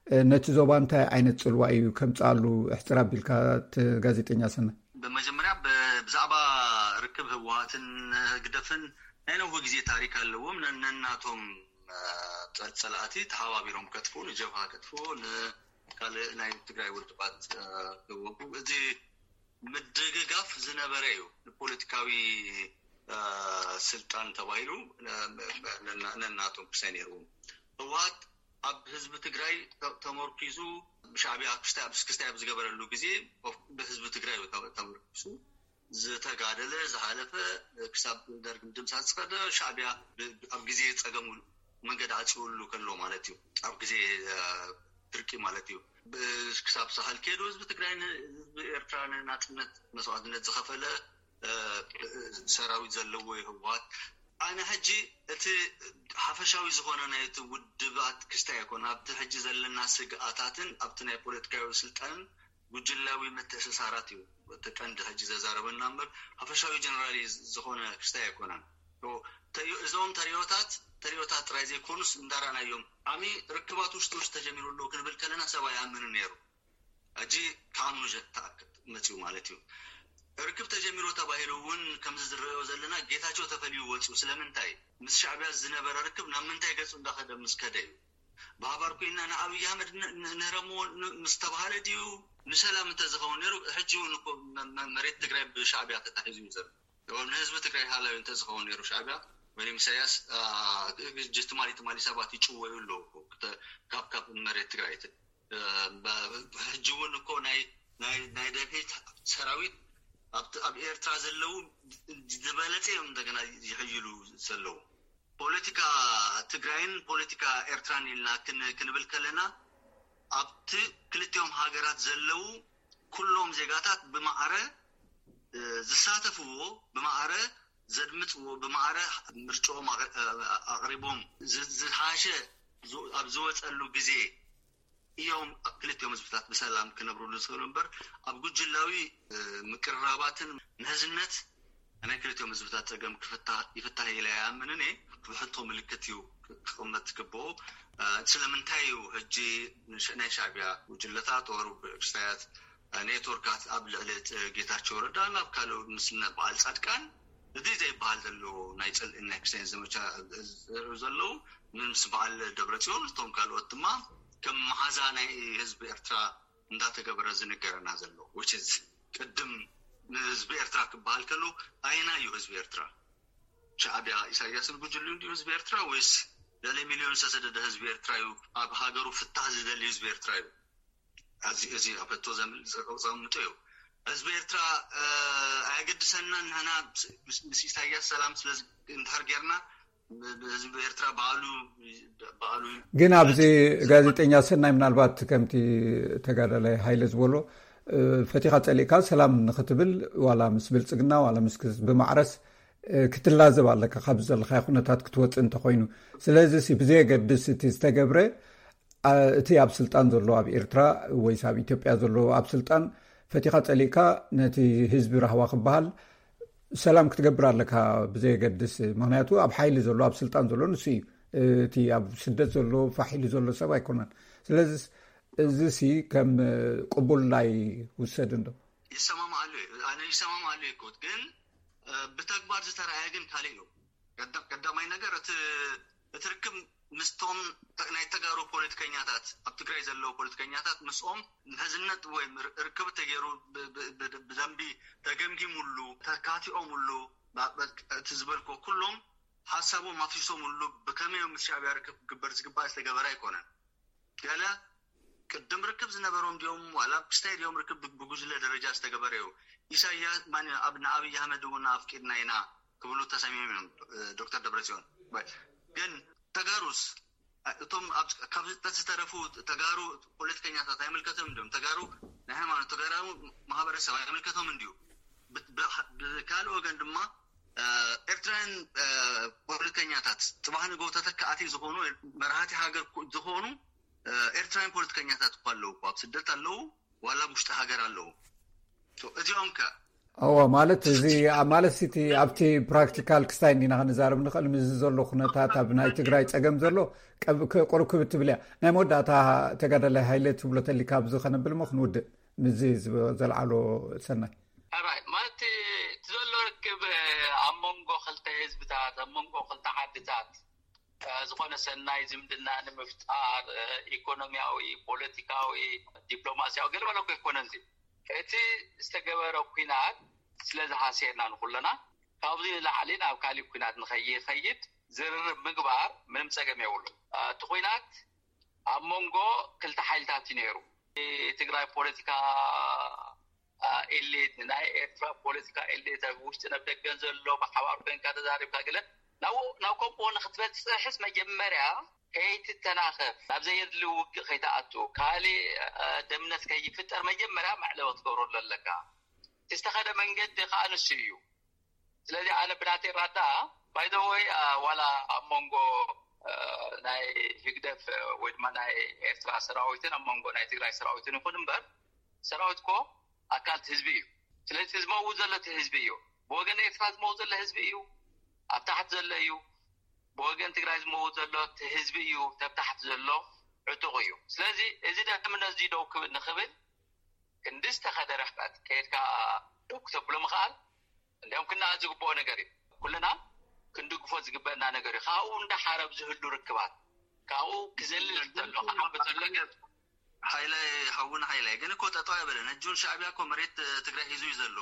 እ፣ ነቲ ዞባ እንታይ ዓይነት ጽልዋ እዩ ከምጽኣሉ? እሕጽር ኣቢልካ፣ እቲ ጋዜጠኛ ሰናይ። ብመጀመርያ ብ- ብዛዕባ ርክብ ህወሓትን ህግደፍን ናይ ነዊሕ ግዜ ታሪክ ኣለዎም። ነ- ነናቶም፣ እ፣ ጸ- ጸላእቲ ተሓባቢሮም ከጥፍኡ፣ ንጀብሃ ከጥፍኡ፣ ንካልእ ናይ ትግራይ ውድባት፣ እ፣ ክወጉ፣ እዚ ምድግጋፍ ዝነበረ እዩ። ንፖለቲካዊ፣ እ፣ ስልጣን ተባሂሉ፣ ነ- ነ- ነና- ነናቶም ክሳይ ነይርዎም። ህወሓት ኣብ ህዝቢ ትግራይ ተ- ተመርኪዙ፣ ሻዕቢያ ክስታይ ኣብ ክስታይ ኣብ ዝገበረሉ ግዜ፣ ብህዝቢ ትግራይ እዩ ተ- ተመርኪሱ ዝተጋደለ፣ ዝሃለፈ፣ ክሳብ ደርግ ምድምሳስ ዝኸደ። ሻዕቢያ ብ- ኣብ ግዜ ጸገሙ መንገዲ ዓጽውሉ ከሎ ማለት እዩ። ኣብ ግዜ፣ እ፣ ድርቂ ማለት እዩ። ብ- ክሳብ ሳህል ከይዱ ህዝቢ ትግራይ ን- ህዝቢ ኤርትራ ንናጽነት መስዋዕትነት ዝኸፈለ፣ እ፣ ሰራዊት ዘለዎ እዩ ህወሓት። ኣነ ሕጂ እቲ ሓፈሻዊ ዝኾነ ናይቲ ውድባት ክስታይ ኣይኮነ፣ ኣብቲ ሕጂ ዘለና ስግኣታትን ኣብቲ ናይ ፖለቲካዊ ስልጣንን ጉጅላዊ ምትእስሳራት እዩ እቲ ቀንዲ ሕጂ ዘዛረበና እምበር፣ ሓፈሻዊ ጀነራል እዩ ዝኾነ ክስታይ ኣይኮነን። ኦ፣ ተዮ- እዞም ተሪዮታት ተሪዮታት ጥራይ ዘይኮኑስ እንዳራእናዮም፣ ዓሚ ርክባት ውሽጢ ውሽጢ ተጀሚሩ ኣለዉ ክንብል ከለና ሰብ ኣይኣምንን ነይሩ። ሕጂ ከኣምኑ ጀ- ተኣክድ መፅኡ ማለት እዩ። ርክብ ተጀሚሩ ተባሂሉ እውን ከምዚ ዝረዮ ዘለና ጌታቸው ተፈልዩ ወፅኡ። ስለምንታይ? ምስ ሻዕቢያ ዝነበረ ርክብ ናብ ምንታይ ገፁ እንዳኸደ ምስ ከደ እዩ። ብሓባር ኮይና ንኣብይ ኣሕመድ ንህረሞ ምስ ተባሃለ ድዩ? ንሰላም እንተዝኸውን ነይሩ ሕጂ እውን እኮ መሬት ትግራይ ብሻዕቢያ ተታሒዙ እዩ ዘሎ። ንህዝቢ ትግራይ ሃላዊ እንተዝኸውን ነይሩ ሻዕቢያ ወይም ኢሳያስ ትማሊ ትማሊ ሰባት ይጭወዩ ኣለዉ ካብ ካብ መሬት ትግራይ። ሕጂ እውን እኮ ናይ ናይ ደልሂት ሰራዊት ኣብ ኤርትራ ዘለዉ ዝበለፀ እዮም እንደገና ይሕይሉ ዘለዉ። ፖለቲካ ትግራይን ፖለቲካ ኤርትራን ኢልና ክንብል ከለና ኣብቲ ክልቲኦም ሃገራት ዘለዉ ኩሎም ዜጋታት ብማዕረ ዝሳተፍዎ፣ ብማዕረ ዘድምፅዎ፣ ብማዕረ ምርጫኦም ኣቕሪቦም ዝሃሸ ኣብ ዝወፀሉ ግዜ እዮም ኣብ ክልቲኦም ህዝብታት ብሰላም ክነብርሉ ዝኽእሉ እምበር ኣብ ጉጅላዊ ምቅርራባትን ምሕዝነት ናይ ክልቲኦም ህዝብታት ፀገም ይፍታህ ኢለ ኣይኣምንን እየ። ብሕቶ ምልክት እዩ ክቕመጥ ዝግብኦ። ስለምንታይ እዩ ሕጂ ናይ ሻዕቢያ ጉጅለታት ወሩ ብእክስታያት ኔትወርካት ኣብ ልዕሊ ጌታቸው ረዳ ናብ ካልእ ምስ በዓል ፃድቃን እዚ ዘይበሃል ዘሎ ናይ ፅልኢ ናይ ክሳይን ዘመቻ ዘርእዩ ዘለዉ ምስ በዓል ደብረፅዮን እቶም ካልኦት ድማ ከም መሓዛ ናይ ህዝቢ ኤርትራ እንዳተገበረ ዝንገረና ዘሎ ቅድም ንህዝቢ ኤርትራ ክበሃል ከሎ ኣየና እዩ ህዝቢ ኤርትራ? ሻዕቢያ ኢሳያስን ጉጅሉ እንዲዩ ህዝቢ ኤርትራ ወይስ ልዕሊ ሚልዮን ዝተሰደደ ህዝቢ ኤርትራ እዩ? ኣብ ሃገሩ ፍታህ ዝደሊ ህዝቢ ኤርትራ እዩ? እዚ ኣብ ሕቶ ዘምልጥ ዘቐምጦ እዩ። ህዝቢ ኤርትራ ኣየገድሰናን ንሕና ምስ ኢሳያስ ሰላም ስለ እንድሕር ጌርና ህዝቢ ኤርትራ ባዕሉ ባዕሉ ግን ኣብዚ ጋዜጠኛ ሰናይ ምናልባት ከምቲ ተጋዳላይ ሃይለ ዝበሎ ፈቲኻ ፀሊእካ ሰላም ንክትብል ዋላ ምስ ብልፅግና ዋላ ምስ ብማዕረስ ክትላዘብ ኣለካ ካብ ዘለካ ኩነታት ክትወፅእ እንተኮይኑ። ስለዚ ብዘየገድስ እቲ ዝተገብረ እቲ ኣብ ስልጣን ዘሎ ኣብ ኤርትራ ወይስ ኣብ ኢትዮጵያ ዘሎ ኣብ ስልጣን ፈቲኻ ፀሊእካ ነቲ ህዝቢ ራህዋ ክበሃል ሰላም ክትገብር ኣለካ ብዘየገድስ። ምክንያቱ ኣብ ሓይሊ ዘሎ ኣብ ስልጣን ዘሎ ንሱ እዩ። እቲ ኣብ ስደት ዘሎ ፋሕ ኢሉ ዘሎ ሰብ ኣይኮነን። ስለዚ እዚ ሲ ከም ቅቡል ኣይውሰድን ዶ? ይሰማማኣሉ እየ። ኣነ ይሰማማኣሉ እየ። ግን ብተግባር ዝተረኣየ ግን ካልእ እዩ። ቀዳማይ ነገር እቲ እቲ ርክብ ምስቶም ናይ ተጋሩ ፖለቲከኛታት ኣብ ትግራይ ዘለዉ ፖለቲከኛታት ምስኦም ምሕዝነት ወይ ርክብ ተገይሩ ብደንቢ ተገምጊሙሉ ተካቲኦምሉ እቲ ዝበልኮ ኩሎም ሓሳቦም ኣፍሲሶምሉ ብከመይ ምስ ሻዕቢያ ርክብ ክግበር ዝግባእ ዝተገበረ ኣይኮነን። ገለ ቅድም ርክብ ዝነበሮም ድዮም ዋላ ብስታይ ድዮም ርክብ ብጉጅለ ደረጃ ዝተገበረ እዩ። ኢሳያስ ማን ኣብ ንኣብይ ኣህመድ እውን ኣፍቂድና ኢና ክብሉ ተሰሚሞም እዮም ዶክተር ደብረፅዮን። ግን ተጋሩስ እቶም ካብ ዝተረፉ ተጋሩ ፖለቲከኛታት ኣይምልከቶም ድዮም? ተጋሩ ናይ ሃይማኖት ተጋሩ ማህበረሰብ ኣይምልከቶም እንድዩ። ብካልእ ወገን ድማ ኤርትራውያን ፖለቲከኛታት ፅባሕ ንግሆ ተተካእቲ ዝኾኑ መራሃቲ ሃገር ዝኾኑ ኤርትራውያን ፖለቲከኛታት እኳ ኣለዉ ኣብ ስደት ኣለዉ ዋላ ኣብ ውሽጢ ሃገር ኣለዉ። እዚኦም ከ እዎ ማለት እዚ ማለት እቲ ኣብቲ ፕራክቲካል ክስታይ እንዲና ክንዛረብ ንኽእል ምስዚ ዘሎ ኩነታት ኣብ ናይ ትግራይ ፀገም ዘሎ ቁርብ ክብ ትብል እያ። ናይ መወዳእታ ተጋዳላይ ሃይለ ትብሎ ተሊካ ኣብዚ ከነብል ሞ ክንውድእ ምስዚ ዘልዓሎ ሰናይ ራይ ማለት እቲ ዘሎ ርክብ ኣብ መንጎ ክልተ ህዝብታት ኣብ መንጎ ክልተ ዓድታት ዝኾነ ሰናይ ዝምድና ንምፍጣር ኢኮኖሚያዊ፣ ፖለቲካዊ፣ ዲፕሎማሲያዊ ገለ መለ እኮ ኣይኮነን። እዚ እቲ ዝተገበረ ኩናት ስለ ዝሃስየና ንኩለና ካብዚ ንላዕሊ ናብ ካሊእ ኩናት ንኸይኸይድ ዝርርብ ምግባር ምንም ፀገም የብሉ። እቲ ኩናት ኣብ መንጎ ክልተ ሓይልታት እዩ ነይሩ። ትግራይ ፖለቲካ ኤሊት ንናይ ኤርትራ ፖለቲካ ኤሊት ኣብ ውሽጥን ኣብ ደገን ዘሎ ብሓባር ኮንካ ተዛሪብካ ገለ ናብ ናብ ከምኡ ንክትበፅሕስ መጀመርያ ከይትተናኸፍ ናብ ዘየድሊ ውግእ ከይትኣቱ ካሊእ ደምነት ከይፍጠር መጀመርያ መዕለዊ ክትገብረሉ ኣለካ። ዝተኸደ መንገዲ ከዓ ንሱ እዩ። ስለዚ ኣነ ብናተይ ራዳ ባይዘወይ ዋላ ኣብ መንጎ ናይ ህግደፍ ወይ ድማ ናይ ኤርትራ ሰራዊትን ኣብ መንጎ ናይ ትግራይ ሰራዊትን ይኹን እምበር ሰራዊት ኮ ኣካል ህዝቢ እዩ። ስለዚ ዝመውት ዘሎ እቲ ህዝቢ እዩ። ብወገን ኤርትራ ዝመውት ዘሎ ህዝቢ እዩ፣ ኣብ ታሕቲ ዘሎ እዩ። ብወገን ትግራይ ዝመውት ዘሎ እቲ ህዝቢ እዩ፣ ተብ ታሕቲ ዘሎ ዕጡቕ እዩ። ስለዚ እዚ ደምነት እዚ ደው ክብል ንኽብል ክንዲ ዝተኸደ ርሕቀት ከይድካ ደው ክተብሎ ምኽኣል እንዲያውም ክነኣድ ዝግብኦ ነገር እዩ። ኩልና ክንድግፎ ዝግበአና ነገር እዩ። ካብኡ እንዳሓረብ ዝህሉ ርክባት ካብኡ ክዘልል ተሎ ክዓቢ ተሎ ግን ሓይለ ሓውን ሓይለ ግን እኮ ጠጠው ኣይበለን። ሕጂ እውን ሻዕቢያ እኮ መሬት ትግራይ ሒዙ እዩ ዘሎ።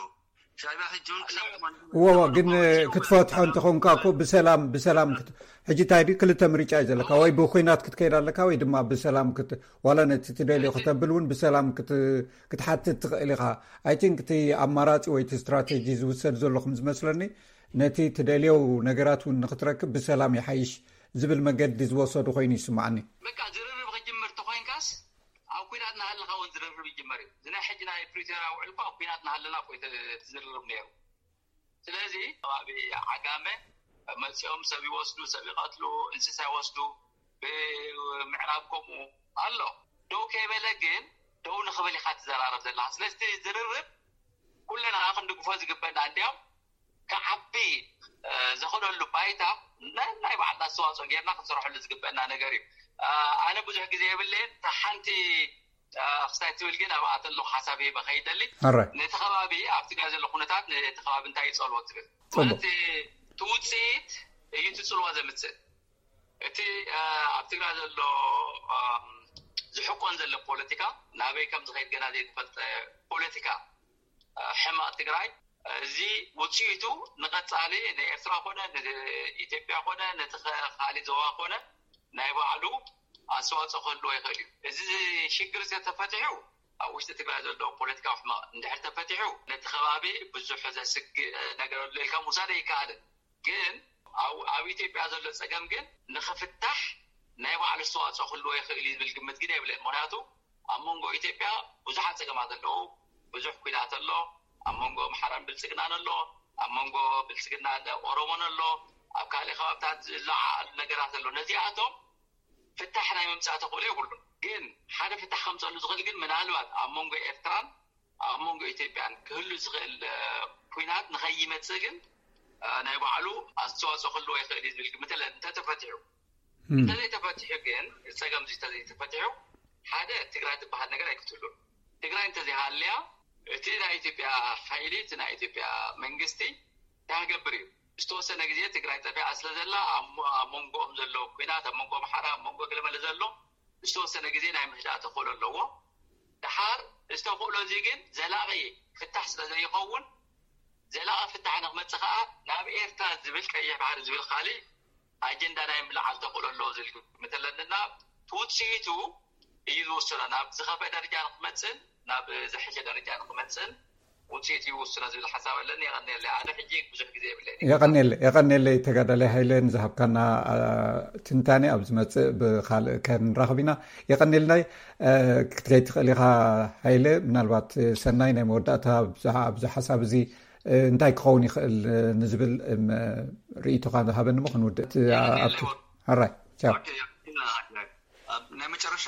ሻዕቢያ ሕጂ እውን ክሳብ ትማሊ እወ ግን ክትፈትሖ እንተኾንካ እኮ ብሰላም ብሰላም ክት- ሕጂ እንታይ ድዩ ክልተ ምርጫ እዩ ዘለካ። ወይ ብኩናት ክትከይድ ኣለካ ወይ ድማ ብሰላም ክት- ዋላ ነቲ ትደልዮ ክተብል እውን ብሰላም ክት- ክትሓትት ትኽእል ኢኻ። I think እቲ ኣማራፂ ወይ እቲ ስትራቴጂ ዝውሰድ ዘሎ ከም ዝመስለኒ ነቲ ትደልዮ ነገራት እውን ንክትረክብ ብሰላም ይሓይሽ ዝብል መገዲ ዝወሰዱ ኮይኑ ይስማዓኒ። በቃ ዝርርብ ክጅምር ተኮይንካስ ኣብ ኩናት እናሃለካ እውን ዝርርብ ይጅመር እዩ። እዚ ናይ ሕጂ ናይ ፕሪቶርያ ውዕል እኮ ኣብ ኩናት እናሃለና እኮ እዩ ዝርርብ ነይሩ። ስለዚ ከባቢ ዓጋመ መፂኦም ሰብ ይወስዱ፣ ሰብ ይቐትሉ፣ እንስሳ ይወስዱ፣ ብምዕራብ ከምኡ ኣሎ። ደው ከይበለ ግን ደው ንክብል ኢካ ትዘራረብ ዘለካ። ስለዚ ዝርርብ ኩለና ክንድግፎ ዝግበና እንዲያም ክዓቢ ዘኽእለሉ ባይታ ናይ ባዕልና ኣስተዋፅኦ ጌርና ክንሰርሐሉ ዝግበና ነገር እዩ። ኣነ ብዙሕ ግዜ የብለየን ሓንቲ ክስታይ ትብል ግን ኣብኣ ተለኹ ሓሳብ ሂበ ከይደሊ ነቲ ከባቢ ኣብቲ ጋር ዘሎ ኩነታት ነቲ ከባቢ እንታይ ይፀልዎ ትብል ማለት እቲ ውፅኢት እዩ ትፅልዋ ዘምፅእ እቲ ኣብ ትግራይ ዘሎ ዝሕቆን ዘሎ ፖለቲካ ናበይ ከም ዝኸይድ ገና ዘይተፈልጠ ፖለቲካ ሕማቕ ትግራይ እዚ ውፅኢቱ ንቐፃሊ ንኤርትራ ኮነ ንኢትዮጵያ ኮነ ነቲ ካሊእ ዞባ ኮነ ናይ ባዕሉ ኣስተዋፅኦ ክህልዎ ይኽእል እዩ። እዚ ሽግር ተፈቲሑ ኣብ ውሽጢ ትግራይ ዘሎ ፖለቲካዊ ሕማቕ እንድሕር ተፈቲሑ ነቲ ከባቢ ብዙሕ ዘስግእ ነገር ኣሎ ኢልካ ምውሳድ ኣይከኣልን። ግን ኣብ ኢትዮጵያ ዘሎ ፀገም ግን ንኽፍታሕ ናይ ባዕሉ ኣስተዋፅኦ ክህልዎ ይኽእል እዩ ዝብል ግምት ግን የብለይን። ምክንያቱ ኣብ መንጎ ኢትዮጵያ ብዙሓት ፀገማት ኣለዉ። ብዙሕ ኩናት ኣሎ። ኣብ መንጎ ኣምሓራን ብልፅግናን ኣሎ። ኣብ መንጎ ብልፅግና ኦሮሞን ኣሎ። ኣብ ካልእ ከባብታት ዝለዓሉ ነገራት ኣሎ። ነዚኣቶም ፍታሕ ናይ ምምፃእ ተኽእሎ የብሉን። ግን ሓደ ፍታሕ ከምፀሉ ዝኽእል ግን ምናልባት ኣብ መንጎ ኤርትራን ኣብ መንጎ ኢትዮጵያን ክህሉ ዝኽእል ኩናት ንኸይመፅእ ግን ናይ ባዕሉ ኣስተዋፅኦ ክህልዎ ይኽእል እዩ ዝብል ግምት ኣለኒ። እንተተፈቲሑ እንተዘይተፈቲሑ ግን ጸገም እዚ እንተዘይተፈቲሑ ሓደ ትግራይ ትበሃል ነገር ኣይክትህሉን። ትግራይ እንተዘይሃልያ እቲ ናይ ኢትዮጵያ ሓይሊ እቲ ናይ ኢትዮጵያ መንግስቲ እንታይ ክገብር እዩ? ዝተወሰነ ግዜ ትግራይ ጠፊኣ ስለ ዘላ ኣብ መንጎኦም ዘሎ ኩናት ኣብ መንጎ ኣምሓራ ኣብ መንጎ ገለመለ ዘሎ ዝተወሰነ ግዜ ናይ ምህዳእ ተኽእሎ ኣለዎ። ደሓር እዚ ተኽእሎ እዚ ግን ዘላቒ ፍታሕ ስለ ዘይኸውን ዘላቒ ፍታሕ ንክመፅእ ከዓ ናብ ኤርትራ ዝብል ቀይሕ ባሕሪ ዝብል ካሊእ ኣጀንዳ ናይ ምልዓል ተኽእሎ ኣለዎ ዝብል ግምት ኣለንና ትውፅኢቱ እዩ ዝውስኖ ናብ ዝኸፍአ ደረጃ ንክመፅእን ናብ ዝሐሸ ደረጃ ንክመፅእን ውፅኢት ይውስኖ ዝብል ሓሳብ ኣለኒ። የቐንየለይ። ኣነ ሕጂ ብዙሕ ግዜ የብለይን። የቐንየለይ። የቐንየለይ ተጋዳላይ ሃይለ ንዝሃብካና ትንታኔ። ኣብ ዝመፅእ ብካልእ ከንራኽብ ኢና። የቐንየልናይ። ክትከይድ ትኽእል ኢኻ ሃይለ። ምናልባት ሰናይ ናይ መወዳእታ ኣብዚ ሓሳብ እዚ እንታይ ክኸውን ይኽእል ንዝብል ርእይቶኻ ዝሃበኒ ሞ ክንውድእ። ኣራይ ቻው። ናይ መጨረሻ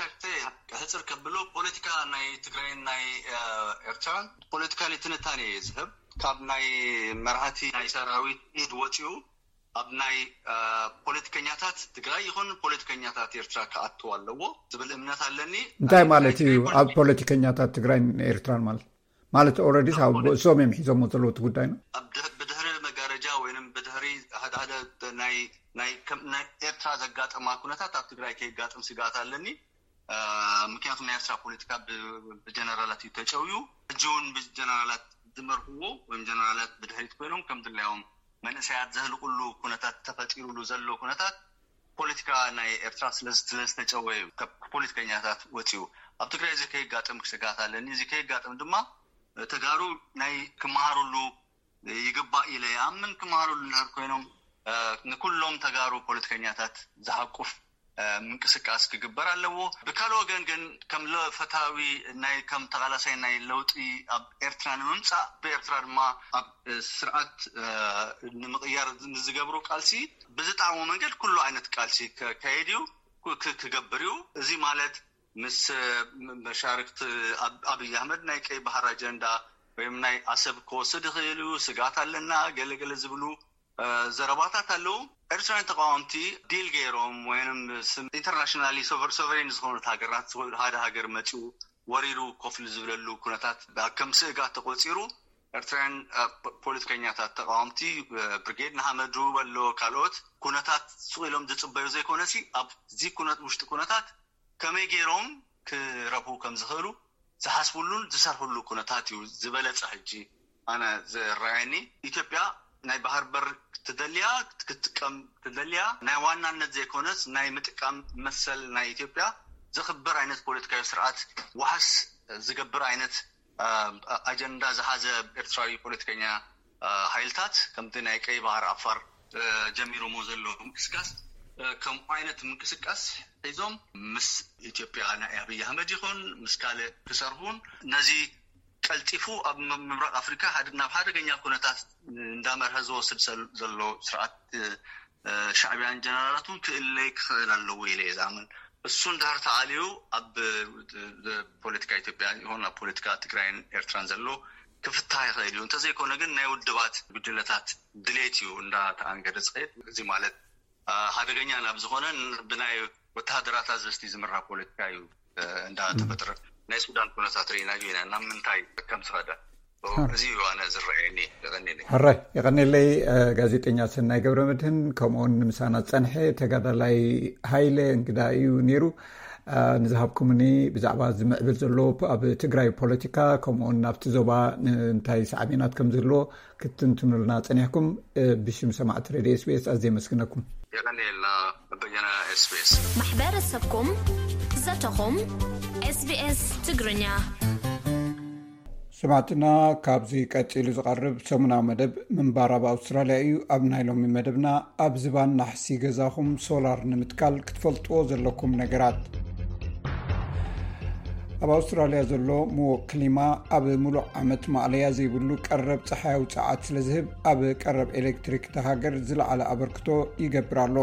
ክሕፅር ከብሎ ፖለቲካ ናይ ትግራይን ናይ ኤርትራን ፖለቲካሊ ትንታኔ እየ ዝህብ። ካብ ናይ መራሕቲ ናይ ሰራዊት ኢድ ወፂኡ ኣብ ናይ ፖለቲከኛታት ትግራይ ይኹን ፖለቲከኛታት ኤርትራ ክኣትው ኣለዎ ዝብል እምነት ኣለኒ። እንታይ ማለት እዩ ኣብ ፖለቲከኛታት ትግራይን ኤርትራን ማለት? ማለት ኦረዲስ ኣብ ብእሶም እዮም ሒዞሞ ዘለዉ እቲ ጉዳይ ነው። ብድሕሪ መጋረጃ ወይም ብድሕሪ ሓደ ሓደ ናይ ናይ ኤርትራ ዘጋጠማ ኩነታት ኣብ ትግራይ ከይጋጥም ስግኣት ኣለኒ። ምክንያቱ ናይ ኤርትራ ፖለቲካ ብጀነራላት እዩ ተጨውዩ። ሕጂ እውን ብጀነራላት ዝመርሕዎ ወይም ጀነራላት ብድሕሪት ኮይኖም ከም ድላዮም መንእሰያት ዘህልቁሉ ኩነታት ተፈጢሩሉ ዘሎ ኩነታት ፖለቲካ ናይ ኤርትራ ስለዝተጨወ እዩ ካብ ፖለቲከኛታት ወፂኡ። ኣብ ትግራይ እዚ ከይጋጥም ስግኣት ኣለኒ። እዚ ከይጋጥም ድማ ተጋሩ ናይ ክመሃሩሉ ይግባእ ኢለ ይኣምን። ክመሃሩሉ እንድሕር ኮይኖም ንኩሎም ተጋሩ ፖለቲከኛታት ዝሓቁፍ ምንቅስቃስ ክግበር ኣለዎ። ብካልእ ወገን ግን ከም ፈታዊ ናይ ከም ተቓላሳይ ናይ ለውጢ ኣብ ኤርትራ ንምምፃእ ብኤርትራ ድማ ኣብ ስርዓት ንምቕያር ንዝገብሩ ቃልሲ ብዝጠዓሞ መንገድ ኩሉ ዓይነት ቃልሲ ከካየድ እዩ ክገብር እዩ። እዚ ማለት ምስ መሻርክቲ ኣብይ ኣሕመድ ናይ ቀይ ባህር ኣጀንዳ ወይም ናይ ኣሰብ ክወስድ ይኽእል እዩ ስግኣት ኣለና ገለገለ ዝብሉ ዘረባታት ኣለዉ። ኤርትራውያን ተቃወምቲ ዲል ገይሮም ወይም ኢንተርናሽናሊ ሶቨሬን ዝኾኑት ሃገራት ሓደ ሃገር መፂኡ ወሪሩ ኮፍሊ ዝብለሉ ኩነታት ከም ስእጋት ተቆፂሩ ኤርትራውያን ፖለቲከኛታት ተቃወምቲ፣ ብርጌድ ንሓመዱ በሎ ካልኦት ኩነታት ስቕ ኢሎም ዝፅበዩ ዘይኮነሲ፣ ኣብዚ ኩነት ውሽጢ ኩነታት ከመይ ገይሮም ክረብሑ ከም ዝኽእሉ ዝሓስብሉን ዝሰርሕሉ ኩነታት እዩ ዝበለፀ። ሕጂ ኣነ ዝረኣየኒ፣ ኢትዮጵያ ናይ ባህር በር ክትደልያ ክትጥቀም ትደልያ፣ ናይ ዋናነት ዘይኮነስ ናይ ምጥቃም መሰል ናይ ኢትዮጵያ ዘኽብር ዓይነት ፖለቲካዊ ስርዓት ዋሕስ ዝገብር ዓይነት ኣጀንዳ ዝሓዘ ኤርትራዊ ፖለቲከኛ ሓይልታት፣ ከምቲ ናይ ቀይ ባህር ኣፋር ጀሚሮሞ ዘሎ ምንቅስቃስ፣ ከምኡ ዓይነት ምንቅስቃስ ሒዞም ምስ ኢትዮጵያ ናይ ኣብይ ኣህመድ ይኹን ምስ ካልእ ክሰርሑን፣ ነዚ ቀልጢፉ ኣብ ምብራቕ ኣፍሪካ ሓደ ናብ ሓደገኛ ኩነታት እንዳመርሀ ዝወስድ ዘሎ ስርዓት ሻዕቢያን ጀነራላቱን ክእለይ ክኽእል ኣለዎ ኢለ እየ ዝኣምን። እሱ እንድሕር ተኣልዩ ኣብ ፖለቲካ ኢትዮጵያ ይኹን ኣብ ፖለቲካ ትግራይን ኤርትራን ዘሎ ክፍታሕ ይኽእል እዩ። እንተዘይኮነ ግን ናይ ውድባት ጉጅለታት ድሌት እዩ እንዳተኣንገደ ዝኸይድ። እዚ ማለት ሓደገኛ ናብ ዝኾነ ብናይ ወተሃደራት ኣዘዝቲ ዝምራሕ ፖለቲካ እዩ እንዳተፈጥረ። ናይ ሱዳን ኩነታት ርኢናዮ ኢና ናብ ምንታይ ከም ዝኸደ። እዚ እዩ ኣነ ዝረኣየኒ። የቐንየለይ። ሕራይ የቐንየለይ። ጋዜጠኛ ሰናይ ገብረ መድህን፣ ከምኡውን ንምሳና ዝጸንሐ ተጋዳላይ ሃይለ እንግዳ እዩ ነይሩ። ንዝሃብኩምኒ ብዛዕባ ዝምዕብል ዘሎ ኣብ ትግራይ ፖለቲካ፣ ከምኡውን ናብቲ ዞባ እንታይ ሳዕቤናት ከም ዝህልዎ ክትትንትኑልና ጸኒሕኩም፣ ብሽም ሰማዕቲ ሬድዮ ኤስቢኤስ ኣዝየ የመስግነኩም። የቐንየልና በየነ ኤስቢኤስ። ማሕበረሰብኩም፣ ዘተኹም፣ ኤስቢኤስ ትግርኛ። ሰማዕትና፣ ካብዚ ቀጺሉ ዝቐርብ ሰሙናዊ መደብ ምንባር ኣብ ኣውስትራልያ እዩ። ኣብ ናይ ሎሚ መደብና፣ ኣብ ዝባን ናሕሲ ገዛኹም ሶላር ንምትካል ክትፈልጥዎ ዘለኩም ነገራት። ኣብ ኣውስትራልያ ዘሎ ምዉቕ ክሊማ፣ ኣብ ምሉእ ዓመት ማእለያ ዘይብሉ ቀረብ ጸሓያዊ ጸዓት ስለ ዝህብ፣ ኣብ ቀረብ ኤሌክትሪክ እታ ሃገር ዝለዓለ ኣበርክቶ ይገብር ኣሎ።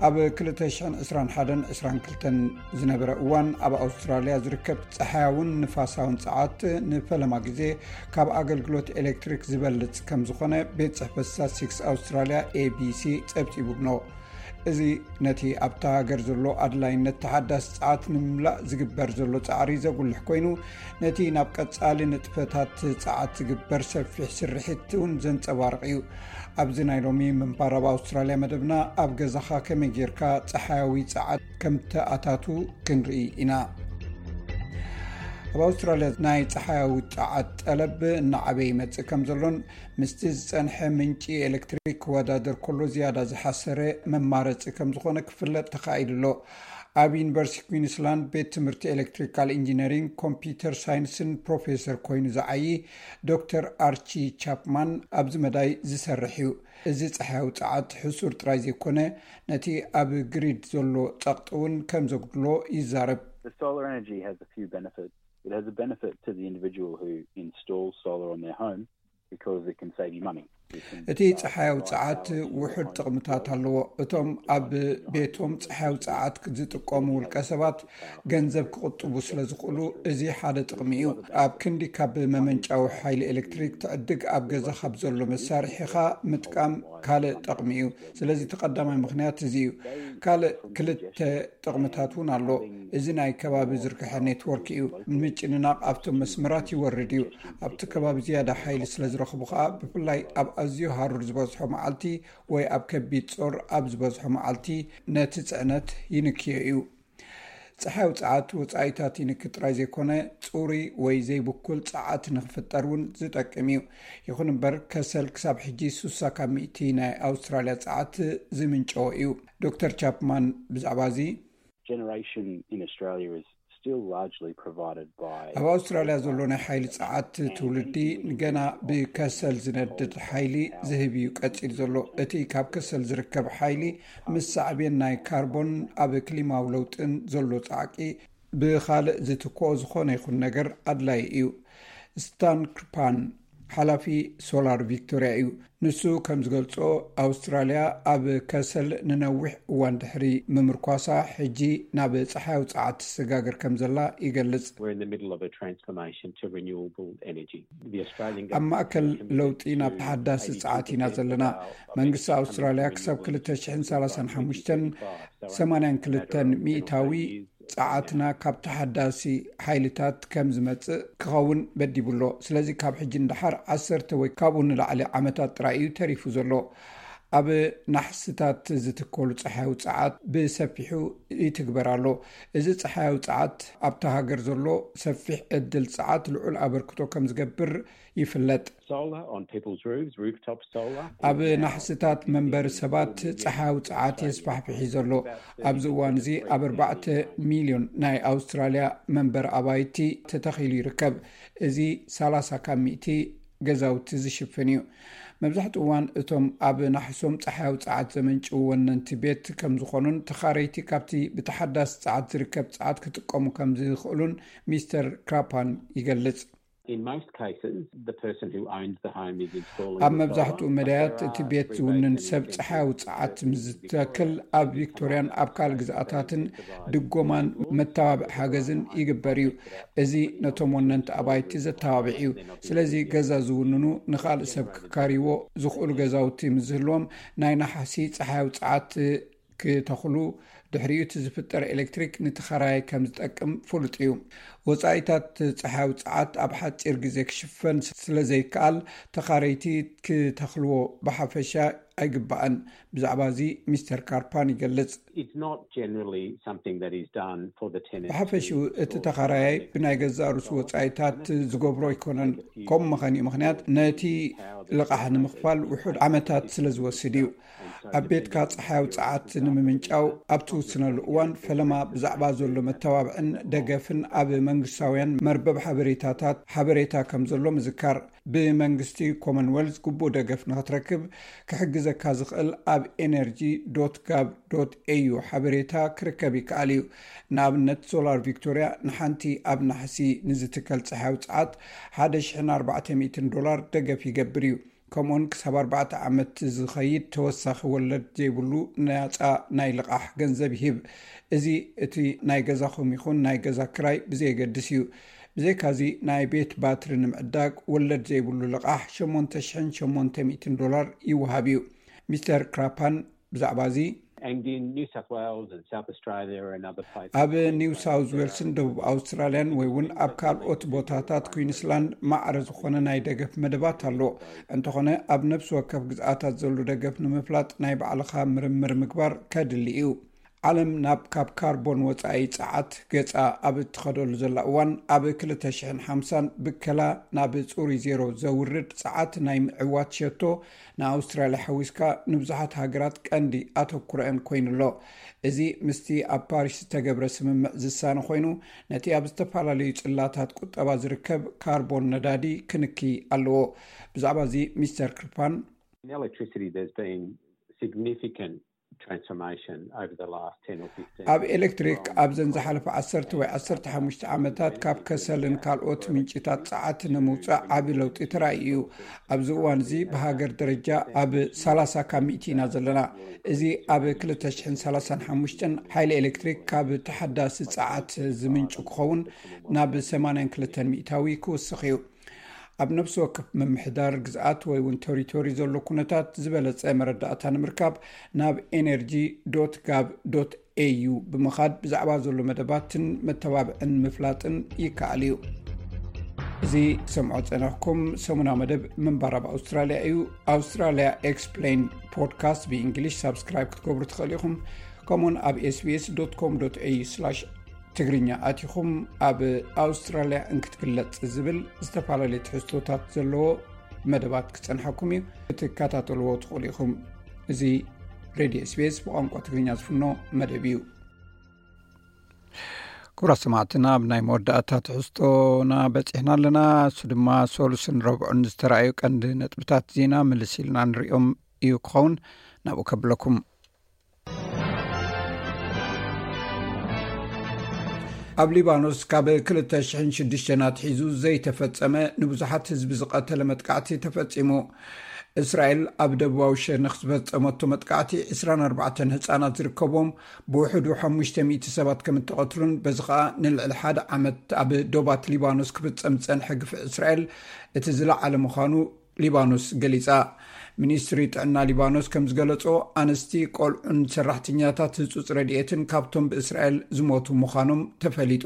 ኣብ ክልተ ሽሕን ዕስራን ሓደን ዕስራን ክልተን ዝነበረ እዋን፣ ኣብ ኣውስትራልያ ዝርከብ ጸሓያውን ንፋሳውን ጸዓት ንፈለማ ግዜ ካብ ኣገልግሎት ኤሌክትሪክ ዝበልጽ ከም ዝኾነ ቤት ጽሕፈት ስታትስቲክስ ኣውስትራልያ፣ ኤቢሲ፣ ጸብጺቡ ብሎ። እዚ ነቲ ኣብታ ሃገር ዘሎ ኣድላይነት ተሓዳሲ ጸዓት ንምምላእ ዝግበር ዘሎ ጻዕሪ ዘጉልሕ ኮይኑ፣ ነቲ ናብ ቀጻሊ ንጥፈታት ጸዓት ዝግበር ሰፊሕ ስርሒት እውን ዘንጸባርቕ እዩ። ኣብዚ ናይ ሎሚ ምንባር ኣብ ኣውስትራልያ መደብና፣ ኣብ ገዛኻ ከመይ ጌርካ ጸሓያዊ ጸዓት ከም ተኣታቱ ክንርኢ ኢና። ኣብ ኣውስትራልያ ናይ ጸሓያዊ ጸዓት ጠለብ እናዓበየ ይመጽእ ከም ዘሎን፣ ምስቲ ዝጸንሐ ምንጪ ኤሌክትሪክ ክወዳደር ከሎ ዝያዳ ዝሓሰረ መማረጺ ከም ዝኾነ ክፍለጥ ተኻኢሉ ኣሎ። ኣብ ዩኒቨርሲቲ ኩዊንስላንድ ቤት ትምህርቲ ኤሌክትሪካል ኢንጂነሪንግ ኮምፒውተር ሳይንስን ፕሮፌሰር ኮይኑ ዝዓዪ ዶክተር ኣርቺ ቻፕማን ኣብዚ መዳይ ዝሰርሕ እዩ። እዚ ጸሓያዊ ጸዓት ሕሱር ጥራይ ዘይኮነ፣ ነቲ ኣብ ግሪድ ዘሎ ጸቕጢ እውን ከም ዘጉድሎ ይዛረብ። The solar energy has a few benefits. It has a benefit to the individual who installs solar on their home because it can save you money. እቲ ጸሓያዊ ጸዓት ውሑድ ጥቕምታት ኣለዎ። እቶም ኣብ ቤቶም ጸሓያዊ ጸዓት ዝጥቀሙ ውልቀ ሰባት ገንዘብ ክቕጥቡ ስለ ዝኽእሉ፣ እዚ ሓደ ጥቕሚ እዩ። ኣብ ክንዲ ካብ መመንጫዊ ሓይሊ ኤሌክትሪክ ትዕድግ፣ ኣብ ገዛኻ ብዘሎ መሳርሒኻ ምጥቃም ካልእ ጥቕሚ እዩ። ስለዚ እቲ ቀዳማይ ምኽንያት እዚ እዩ። ካልእ ክልተ ጥቕምታት እውን ኣሎ። እዚ ናይ ከባቢ ዝርግሐ ኔትወርክ እዩ። ምጭንናቕ ኣብቶም መስመራት ይወርድ እዩ። ኣብቲ ከባቢ ዝያዳ ሓይሊ ስለ ዝረኽቡ ከኣ፣ ብፍላይ ኣብ ኣዝዩ ሃሩር ዝበዝሖ መዓልቲ ወይ ኣብ ከቢድ ጾር ኣብ ዝበዝሖ መዓልቲ፣ ነቲ ጽዕነት ይንክዮ እዩ። ጸሓያዊ ጸዓት ወጻኢታት ይንኪ ጥራይ ዘይኮነ፣ ጽሩይ ወይ ዘይብኩል ጸዓት ንኽፍጠር እውን ዝጠቅም እዩ። ይኹን እምበር፣ ከሰል ክሳብ ሕጂ ሱሳ ካብ ሚእቲ ናይ ኣውስትራልያ ጸዓት ዝምንጨወ እዩ። ዶክተር ቻፕማን ብዛዕባ እዚ፣ Generation in Australia is still largely provided by ኣብ ኣውስትራልያ ዘሎ ናይ ሓይሊ ጸዓት ትውልዲ ንገና ብከሰል ዝነድድ ሓይሊ ዝህብ እዩ ቀጺሉ ዘሎ። እቲ ካብ ከሰል ዝርከብ ሓይሊ፣ ምስ ሳዕቤን ናይ ካርቦን ኣብ ክሊማዊ ለውጥን ዘሎ ጻዕቂ፣ ብኻልእ ዝትክኦ ዝኾነ ይኹን ነገር ኣድላዪ እዩ። ስታን ክርፓን፣ ሓላፊ ሶላር ቪክቶርያ እዩ። ንሱ ከም ዝገልጾ፣ ኣውስትራልያ ኣብ ከሰል ንነዊሕ እዋን ድሕሪ ምምርኳሳ፣ ሕጂ ናብ ጸሓያዊ ጸዓት ትሰጋገር ከም ዘላ ይገልጽ። We're in the middle of a transformation to renewable energy. The Australian ኣብ ማእከል ለውጢ ናብ ተሓዳሲ ጸዓት ኢና ዘለና። መንግስቲ ኣውስትራልያ ክሳብ ክልተ ሽሕን ሰላሳን ሓሙሽተን ሰማንያን ክልተን ሚእታዊ ጸዓትና ካብ ተሓዳሲ ሓይልታት ከም ዝመጽእ ክኸውን በዲቡ ኣሎ። ስለዚ ካብ ሕጂ ንደሓር ዓሰርተ ወይ ካብኡ ንላዕሊ ዓመታት ጥራይ እዩ ተሪፉ ዘሎ። ኣብ ናሕስታት ዝትከሉ ጸሓያዊ ጸዓት ብሰፊሑ ይትግበር ኣሎ። እዚ ጸሓያዊ ጸዓት ኣብታ ሃገር ዘሎ ሰፊሕ ዕድል ጸዓት ልዑል ኣበርክቶ ከም ዝገብር ይፍለጥ። Solar on people's roofs, rooftop solar. ኣብ ናሕስታት መንበሪ ሰባት ጸሓያዊ ጸዓት የስፋሕፍሒ ዘሎ። ኣብዚ እዋን እዚ ኣብ ኣርባዕተ ሚልዮን ናይ ኣውስትራልያ መንበሪ ኣባይቲ ተተኺሉ ይርከብ። እዚ ሰላሳ ካብ ሚእቲ ገዛውቲ ዝሽፍን እዩ። መብዛሕትኡ እዋን እቶም ኣብ ናሕሶም ጸሓያዊ ጸዓት ዘመንጭው ወነንቲ ቤት ከም ዝኾኑን ተኻረይቲ ካብቲ ብተሓዳሲ ጸዓት ዝርከብ ጸዓት ክጥቀሙ ከም ዝኽእሉን ሚስተር ክራፓን ይገልጽ። In most cases, the person who owns the home is installing ኣብ the መብዛሕትኡ solar, but መዳያት there እቲ are ቤት rebates ዝውንን and ሰብ incentives ጸሓያዊ that ጸዓት the ምስ business ዝተክል Victoria ኣብ ቪክቶሪያን ኣብ ካልእ ግዝኣታትን ድጎማን መተባብዒ ሓገዝን ይገብር እዩ። እዚ ነቶም ወነንቲ ኣባይቲ ዘተባብዕ እዩ። ስለዚ ገዛ ዝውንኑ ንኻልእ ሰብ ክካርይዎ ዝኽእሉ ገዛውቲ ምስ ዝህልዎም ናይ ነሓሲ ጸሓያዊ ጸዓት ክተኽሉ ድሕሪኡ እቲ ዝፍጠር ኤሌክትሪክ ንተኸራያይ ከም ዝጠቅም ፍሉጥ እዩ። ወጻኢታት ጸሓያዊ ጸዓት ኣብ ሓጺር ግዜ ክሽፈን ስለ ዘይከኣል ተኻረይቲ ክተኽልዎ ብሓፈሻ ኣይግባእን። ብዛዕባ እዚ ሚስተር ካርፓን ይገልጽ። It's not generally something that is done for the tenant. ብሓፈሽኡ እቲ ተኻራያይ ብናይ ገዛእ ርእሱ ወጻኢታት ዝገብሮ ኣይኮነን። ከምኡ መኸኒኡ ምኽንያት ነቲ ልቓሕ ንምኽፋል ውሑድ ዓመታት ስለ ዝወስድ እዩ። ኣብ ቤትካ ጸሓያዊ ጸዓት ንምምንጫው ኣብ ትውስነሉ እዋን ፈለማ ብዛዕባ ዘሎ መተባብዕን ደገፍን ኣብ መንግስታውያን መርበብ ሓበሬታታት ሓበሬታ ከም ዘሎ ምዝካር። ብመንግስቲ ኮመንወልዝ ግቡእ ደገፍ ንኽትረክብ ክሕግዘካ ዝኽእል ኣብ ኤነርጂ ዶት ጋቭ ዶት ኤዩ ሓበሬታ ክርከብ ይከኣል እዩ። ንኣብነት ሶላር ቪክቶርያ ንሓንቲ ኣብ ናሕሲ ንዝትከል ጸሓያዊ ጸዓት ሓደ ሽሕን ኣርባዕተ ሚእትን ዶላር ደገፍ ይገብር እዩ። ከምኡውን ክሳብ ኣርባዕተ ዓመት ዝኸይድ ተወሳኺ ወለድ ዘይብሉ ናጻ ናይ ልቓሕ ገንዘብ ይህብ። እዚ እቲ ናይ ገዛኹም ይኹን ናይ ገዛ ክራይ ብዘየገድስ እዩ። ብዘይካዚ ናይ ቤት ባትሪ ንምዕዳግ ወለድ ዘይብሉ ልቓሕ ሸሞንተ ሽሕን ሸሞንተ ሚእትን ዶላር ይወሃብ እዩ። ሚስተር ክራፓን ብዛዕባ እዚ And in New South Wales and South Australia and other places, ኣብ ኒው ሳውዝ ዌልስን ደቡብ ኣውስትራልያን ወይ እውን ኣብ ካልኦት ቦታታት ኩዊንስላንድ ማዕረ ዝኾነ ናይ ደገፍ መደባት ኣሎ። እንተኾነ ኣብ ነፍሲ ወከፍ ግዝኣታት ዘሎ ደገፍ ንምፍላጥ ናይ ባዕልኻ ምርምር ምግባር ከድሊ እዩ። ዓለም ናብ ካብ ካርቦን ወጻኢ ጸዓት ገጻ ኣብ እትኸደሉ ዘላ እዋን ኣብ ክልተ ሽሕን ሓምሳን ብከላ ናብ ጽሩይ ዜሮ ዘውርድ ጸዓት ናይ ምዕዋት ሸቶ ንኣውስትራልያ ሓዊስካ ንብዙሓት ሃገራት ቀንዲ ኣተኩሮአን ኮይኑ ኣሎ። እዚ ምስቲ ኣብ ፓሪስ ዝተገብረ ስምምዕ ዝሳነ ኮይኑ ነቲ ኣብ ዝተፈላለዩ ጽላታት ቁጠባ ዝርከብ ካርቦን ነዳዲ ክንኪ ኣለዎ። ብዛዕባ እዚ ሚስተር ክርፓን In electricity, there's been significant transformation over the last ten or fifteen. ኣብ ኤሌክትሪክ ኣብዘን ዝሓለፈ ዓሰርተ ወይ ዓሰርተ ሓሙሽተ ዓመታት ካብ ከሰልን ካልኦት ምንጭታት ጸዓት ንምውጻእ ዓቢ ለውጢ ተራእዩ እዩ። ኣብዚ እዋን እዚ ብሃገር ደረጃ ኣብ ሰላሳ ካብ ሚእቲ ኢና ዘለና። እዚ ኣብ ክልተ ሽሕን ሰላሳን ሓሙሽተን ሓይሊ ኤሌክትሪክ ካብ ተሓዳሲ ጸዓት ዝምንጩ ክኸውን ናብ ሰማንያን ክልተን ሚእታዊ ክውስኽ እዩ። ኣብ ነፍሲ ወከፍ ምምሕዳር ግዝኣት ወይ እውን ቴሪቶሪ ዘሎ ኩነታት ዝበለጸ መረዳእታ ንምርካብ ናብ ኤነርጂ ዶት ጋቭ ዶት ኤዩ ብምኻድ ብዛዕባ ዘሎ መደባትን መተባብዕን ምፍላጥን ይከኣል እዩ። እዚ ሰምዖ ጸነሕኩም ሰሙናዊ መደብ ምንባር ኣብ ኣውስትራልያ እዩ። ኣውስትራልያ ኤክስፕሌን ፖድካስት ብእንግሊሽ ሳብስክራይብ ክትገብሩ ትኽእሉ ኢኹም። ከምኡውን ኣብ ኤስቢኤስ ዶት ኮም ዶት ኤዩ ትግርኛ ኣቲኹም ኣብ ኣውስትራልያ እንክትግለጽ ዝብል ዝተፈላለዩ ትሕዝቶታት ዘለዎ መደባት ክጸንሓኩም እዩ። ክትከታተልዎ ትኽእሉ ኢኹም። እዚ ሬድዮ ኤስቢኤስ ብቋንቋ ትግርኛ ዝፍኖ መደብ እዩ። ክቡራት ሰማዕትና፣ ኣብ ናይ መወዳእታ ትሕዝቶና በጺሕና ኣለና። እሱ ድማ ሰሉስን ረብዑን ዝተራእዩ ቀንዲ ነጥብታት ዜና ምልስ ኢልና ንሪኦም እዩ ክኸውን። ናብኡ ከብለኩም። ኣብ ሊባኖስ ካብ ክልተ ሽሕን ሽዱሽተን ኣትሒዙ ዘይተፈጸመ ንብዙሓት ህዝቢ ዝቐተለ መጥቃዕቲ ተፈጺሙ። እስራኤል ኣብ ደቡባዊ ሸነኽ ዝፈጸመቶ መጥቃዕቲ ዕስራን ኣርባዕተን ህጻናት ዝርከብዎም ብውሕዱ ሓሙሽተ ሚእቲ ሰባት ከም እተቐትሉን በዚ ኸኣ ንልዕሊ ሓደ ዓመት ኣብ ዶባት ሊባኖስ ክፍጸም ዝጸንሐ ግፍዒ እስራኤል እቲ ዝለዓለ ምዃኑ ሊባኖስ ገሊጻ። ሚኒስትሪ ጥዕና ሊባኖስ ከም ዝገለጾ፣ ኣንስቲ፣ ቆልዑን ሰራሕተኛታት ህጹጽ ረድኤትን ካብቶም ብእስራኤል ዝሞቱ ምዃኖም ተፈሊጡ።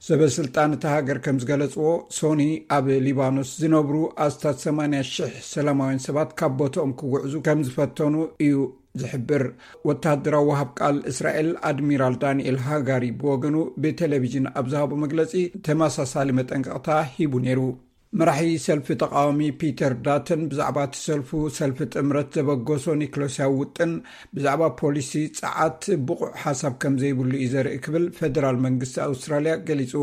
ሰበ ስልጣን እታ ሃገር ከም ዝገለጽዎ፣ ሶኒ ኣብ ሊባኖስ ዝነብሩ ኣስታት ሰማንያ ሽሕ ሰላማውያን ሰባት ካብ ቦታኦም ክጉዕዙ ከም ዝፈተኑ እዩ ዝሕብር። ወተሃደራዊ ወሃብ ቃል እስራኤል ኣድሚራል ዳንኤል ሃጋሪ ብወገኑ ብቴሌቪዥን ኣብ ዝሃቦ መግለጺ፣ ተመሳሳሊ መጠንቀቕታ ሂቡ ነይሩ። መራሒ ሰልፊ ተቃዋሚ ፒተር ዳተን ብዛዕባ እቲ ሰልፉ፣ ሰልፊ ጥምረት ዘበገሶ ኒክሎስያዊ ውጥን ብዛዕባ ፖሊሲ ጸዓት ብቑዕ ሓሳብ ከም ዘይብሉ እዩ ዘርኢ ክብል ፌደራል መንግስቲ ኣውስትራልያ ገሊጹ።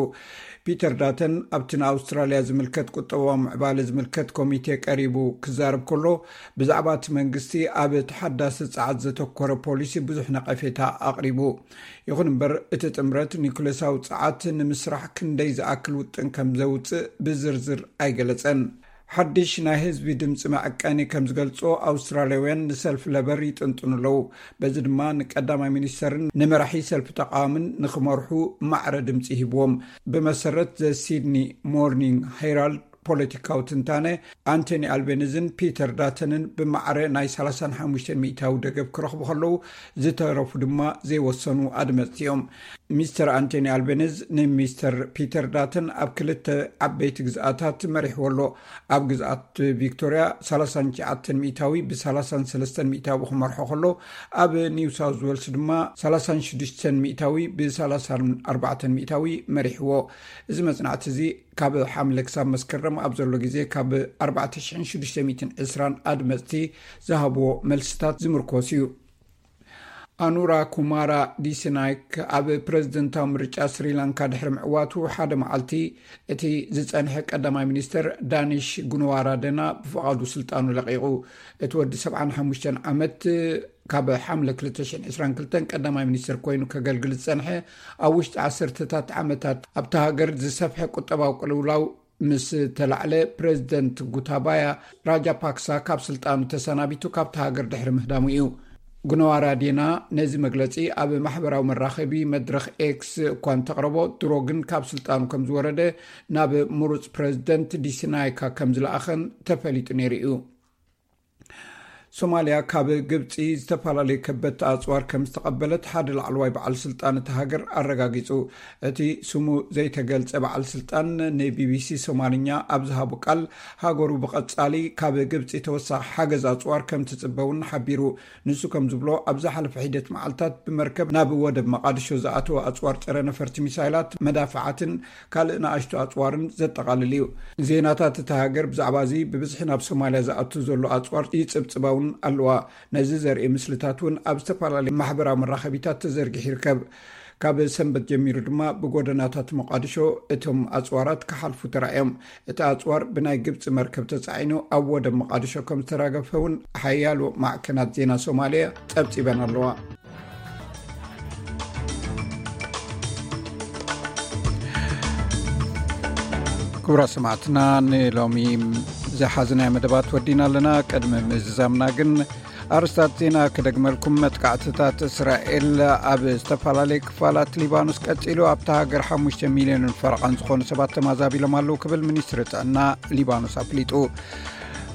ፒተር ዳተን ኣብቲ ንኣውስትራልያ ዝምልከት ቁጠባዊ ምዕባለ ዝምልከት ኮሚቴ ቀሪቡ ክዛረብ ከሎ፣ ብዛዕባ እቲ መንግስቲ ኣብ ተሓዳሲ ጸዓት ዘተኮረ ፖሊሲ ብዙሕ ነቐፌታ ኣቕሪቡ። ይኹን እምበር፣ እቲ ጥምረት ኒኩሌሳዊ ጸዓት ንምስራሕ ክንደይ ዝኣክል ውጥን ከም ዘውጽእ ብዝርዝር ኣይገለጸን። ሓድሽ ናይ ህዝቢ ድምፂ መዐቀኒ ከም ዝገልጾ፣ ኣውስትራልያውያን ንሰልፊ ለበር ይጥንጥኑ ኣለዉ። በዚ ድማ ንቀዳማይ ሚኒስተርን ንመራሒ ሰልፊ ተቃዋምን ንክመርሑ ማዕረ ድምፂ ሂብዎም። ብመሰረት ዘ ሲድኒ ሞርኒንግ ሄራልድ ፖለቲካዊ ትንታነ፣ ኣንቶኒ ኣልቤኒዝን ፒተር ዳተንን ብማዕረ ናይ ሰላሳን ሓሙሽተን ሚእታዊ ደገፍ ክረኽቡ ከለዉ፣ ዝተረፉ ድማ ዘይወሰኑ ኣድመፅቲ እዮም። ሚስተር ኣንቶኒ ኣልቤኒዝ ንሚስተር ፒተር ዳተን ኣብ ክልተ ዓበይቲ ግዝኣታት መሪሕዎ ኣሎ። ኣብ ግዝኣት ቪክቶርያ ሰላሳን ትሽዓተን ሚእታዊ ብ ሰላሳን ሰለስተን ሚእታዊ ክመርሖ ከሎ፣ ኣብ ኒው ሳውዝ ዌልስ ድማ ሰላሳን ሽዱሽተን ሚእታዊ ብ ሰላሳን ኣርባዕተን ሚእታዊ መሪሕዎ። እዚ መጽናዕቲ እዚ ካብ ሓምለ ክሳብ መስከረም ኣብ ዘሎ ግዜ ካብ ኣርባዕተ ሽሕን ሽዱሽተ ሚእትን ዕስራን ኣድመጽቲ ዝሃብዎ መልስታት ዝምርኮስ እዩ። ኣኑራ ኩማራ ዲስናይክ ኣብ ፕረዚደንታዊ ምርጫ ስሪላንካ ድሕሪ ምዕዋቱ ሓደ መዓልቲ፣ እቲ ዝጸንሐ ቀዳማይ ሚኒስተር ዳኒሽ ጉንዋራደና ብፍቓዱ ስልጣኑ ለቒቑ። እቲ ወዲ ሰብዓን ሓሙሽተን ዓመት ካብ ሓምለ ክልተ ሽሕን ዕስራን ክልተን ቀዳማይ ሚኒስተር ኮይኑ ከገልግል ዝጸንሐ፣ ኣብ ውሽጢ ዓሰርተታት ዓመታት ኣብታ ሃገር ዝሰፍሐ ቁጠባዊ ቅልውላው ምስ ተላዕለ፣ ፕረዚደንት ጉታባያ ራጃፓክሳ ካብ ስልጣኑ ተሰናቢቱ ካብታ ሃገር ድሕሪ ምህዳሙ እዩ። ጉነዋራዴና ነዚ መግለጺ ኣብ ማሕበራዊ መራኸቢ መድረኽ ኤክስ እኳ እንተቕረቦ፣ ድሮ ግን ካብ ስልጣኑ ከም ዝወረደ ናብ ምሩጽ ፕረዚደንት ዲስናይካ ከም ዝለኣኸን ተፈሊጡ ነይሩ እዩ። ሶማልያ ካብ ግብጺ ዝተፈላለዩ ከበድቲ ኣጽዋር ከም ዝተቐበለት ሓደ ላዕለዋይ በዓል ስልጣን እቲ ሃገር ኣረጋጊጹ። እቲ ስሙ ዘይተገልጸ በዓል ስልጣን ንቢቢሲ ሶማልኛ ኣብ ዝሃቦ ቃል፣ ሃገሩ ብቐጻሊ ካብ ግብጺ ተወሳኺ ሓገዝ ኣጽዋር ከም ትጽበ እውን ሓቢሩ። ንሱ ከም ዝብሎ፣ ኣብ ዝሓለፈ ሒደት መዓልታት ብመርከብ ናብ ወደብ መቓድሾ ዝኣተወ ኣጽዋር ጸረ ነፈርቲ ሚሳይላት፣ መዳፍዓትን ካልእ ንኣሽቱ ኣጽዋርን ዘጠቓልል እዩ። ዜናታት እታ ሃገር ብዛዕባ እዚ ብብዝሒ ናብ ሶማልያ ዝኣቱ ዘሎ ኣጽዋር ይጽብጽባ እውን ኣለዋ። ነዚ ዘርኢ ምስልታት እውን ኣብ ዝተፈላለዩ ማሕበራዊ መራኸቢታት ተዘርጊሑ ይርከብ። ካብ ሰንበት ጀሚሩ ድማ ብጎደናታት ሞቃዲሾ እቶም ኣጽዋራት ክሓልፉ ተራእዮም። እቲ ኣጽዋር ብናይ ግብጺ መርከብ ተጻዒኑ ኣብ ወደብ ሞቃዲሾ ከም ዝተራገፈ እውን ሓያሎ ማዕከናት ዜና ሶማልያ ጸብጺበን ኣለዋ። ክቡራት ሰማዕትና፣ ንሎሚ ዝሓዝናዮ መደባት ወዲና ኣለና። ቅድሚ ምዝዛምና ግን ኣርስታት ዜና ክደግመልኩም። መጥቃዕትታት እስራኤል ኣብ ዝተፈላለዩ ክፋላት ሊባኖስ ቀጺሉ፣ ኣብታ ሃገር ሓሙሽተ ሚልዮንን ፈረቓን ዝኾኑ ሰባት ተማዛቢሎም ኣለዉ ክብል ሚኒስትሪ ጥዕና ሊባኖስ ኣፍሊጡ።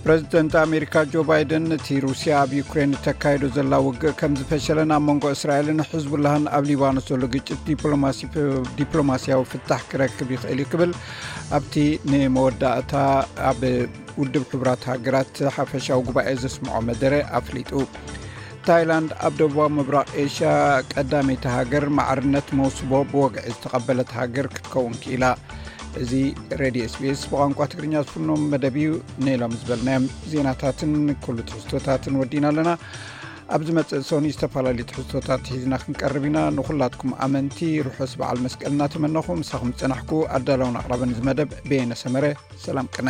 ፕረዚደንት ኣሜሪካ ጆ ባይደን፣ እቲ ሩስያ ኣብ ዩክሬን እተካይዶ ዘላ ውግእ ከም ዝፈሸለን ኣብ መንጎ እስራኤልን ሕዝቡላህን ኣብ ሊባኖስ ዘሎ ግጭት ዲፕሎማሲ-፣ ዲፕሎማሲያዊ ፍታሕ ክረክብ ይኽእል እዩ ክብል ኣብቲ ንመወዳእታ ኣብ ውድብ ሕቡራት ሃገራት ሓፈሻዊ ጉባኤ ዘስምዖ መደረ ኣፍሊጡ። ታይላንድ ኣብ ደቡባዊ ምብራቕ ኤሽያ ቀዳመይቲ ሃገር ማዕርነት መውስቦ ብወግዒ ዝተቐበለት ሃገር ክትከውን ክኢላ። እዚ ሬድዮ ኤስቢኤስ ብቋንቋ ትግርኛ ዝፍኖም መደብ እዩ። ንሎም ዝበልናዮም ዜናታትን ኩሉ ትሕዝቶታትን ወዲና ኣለና። ኣብ ዝመጽእ ሶኒ ዝተፈላለዩ ትሕዝቶታት ሒዝና ክንቀርብ ኢና። ንኹላትኩም ኣመንቲ ርሑስ በዓል መስቀል እናተመነኹ፣ ምሳኹም ዝጸናሕኩ ኣዳለውን ኣቕራብን እዚ መደብ በየነ ሰመረ። ሰላም ቅነ።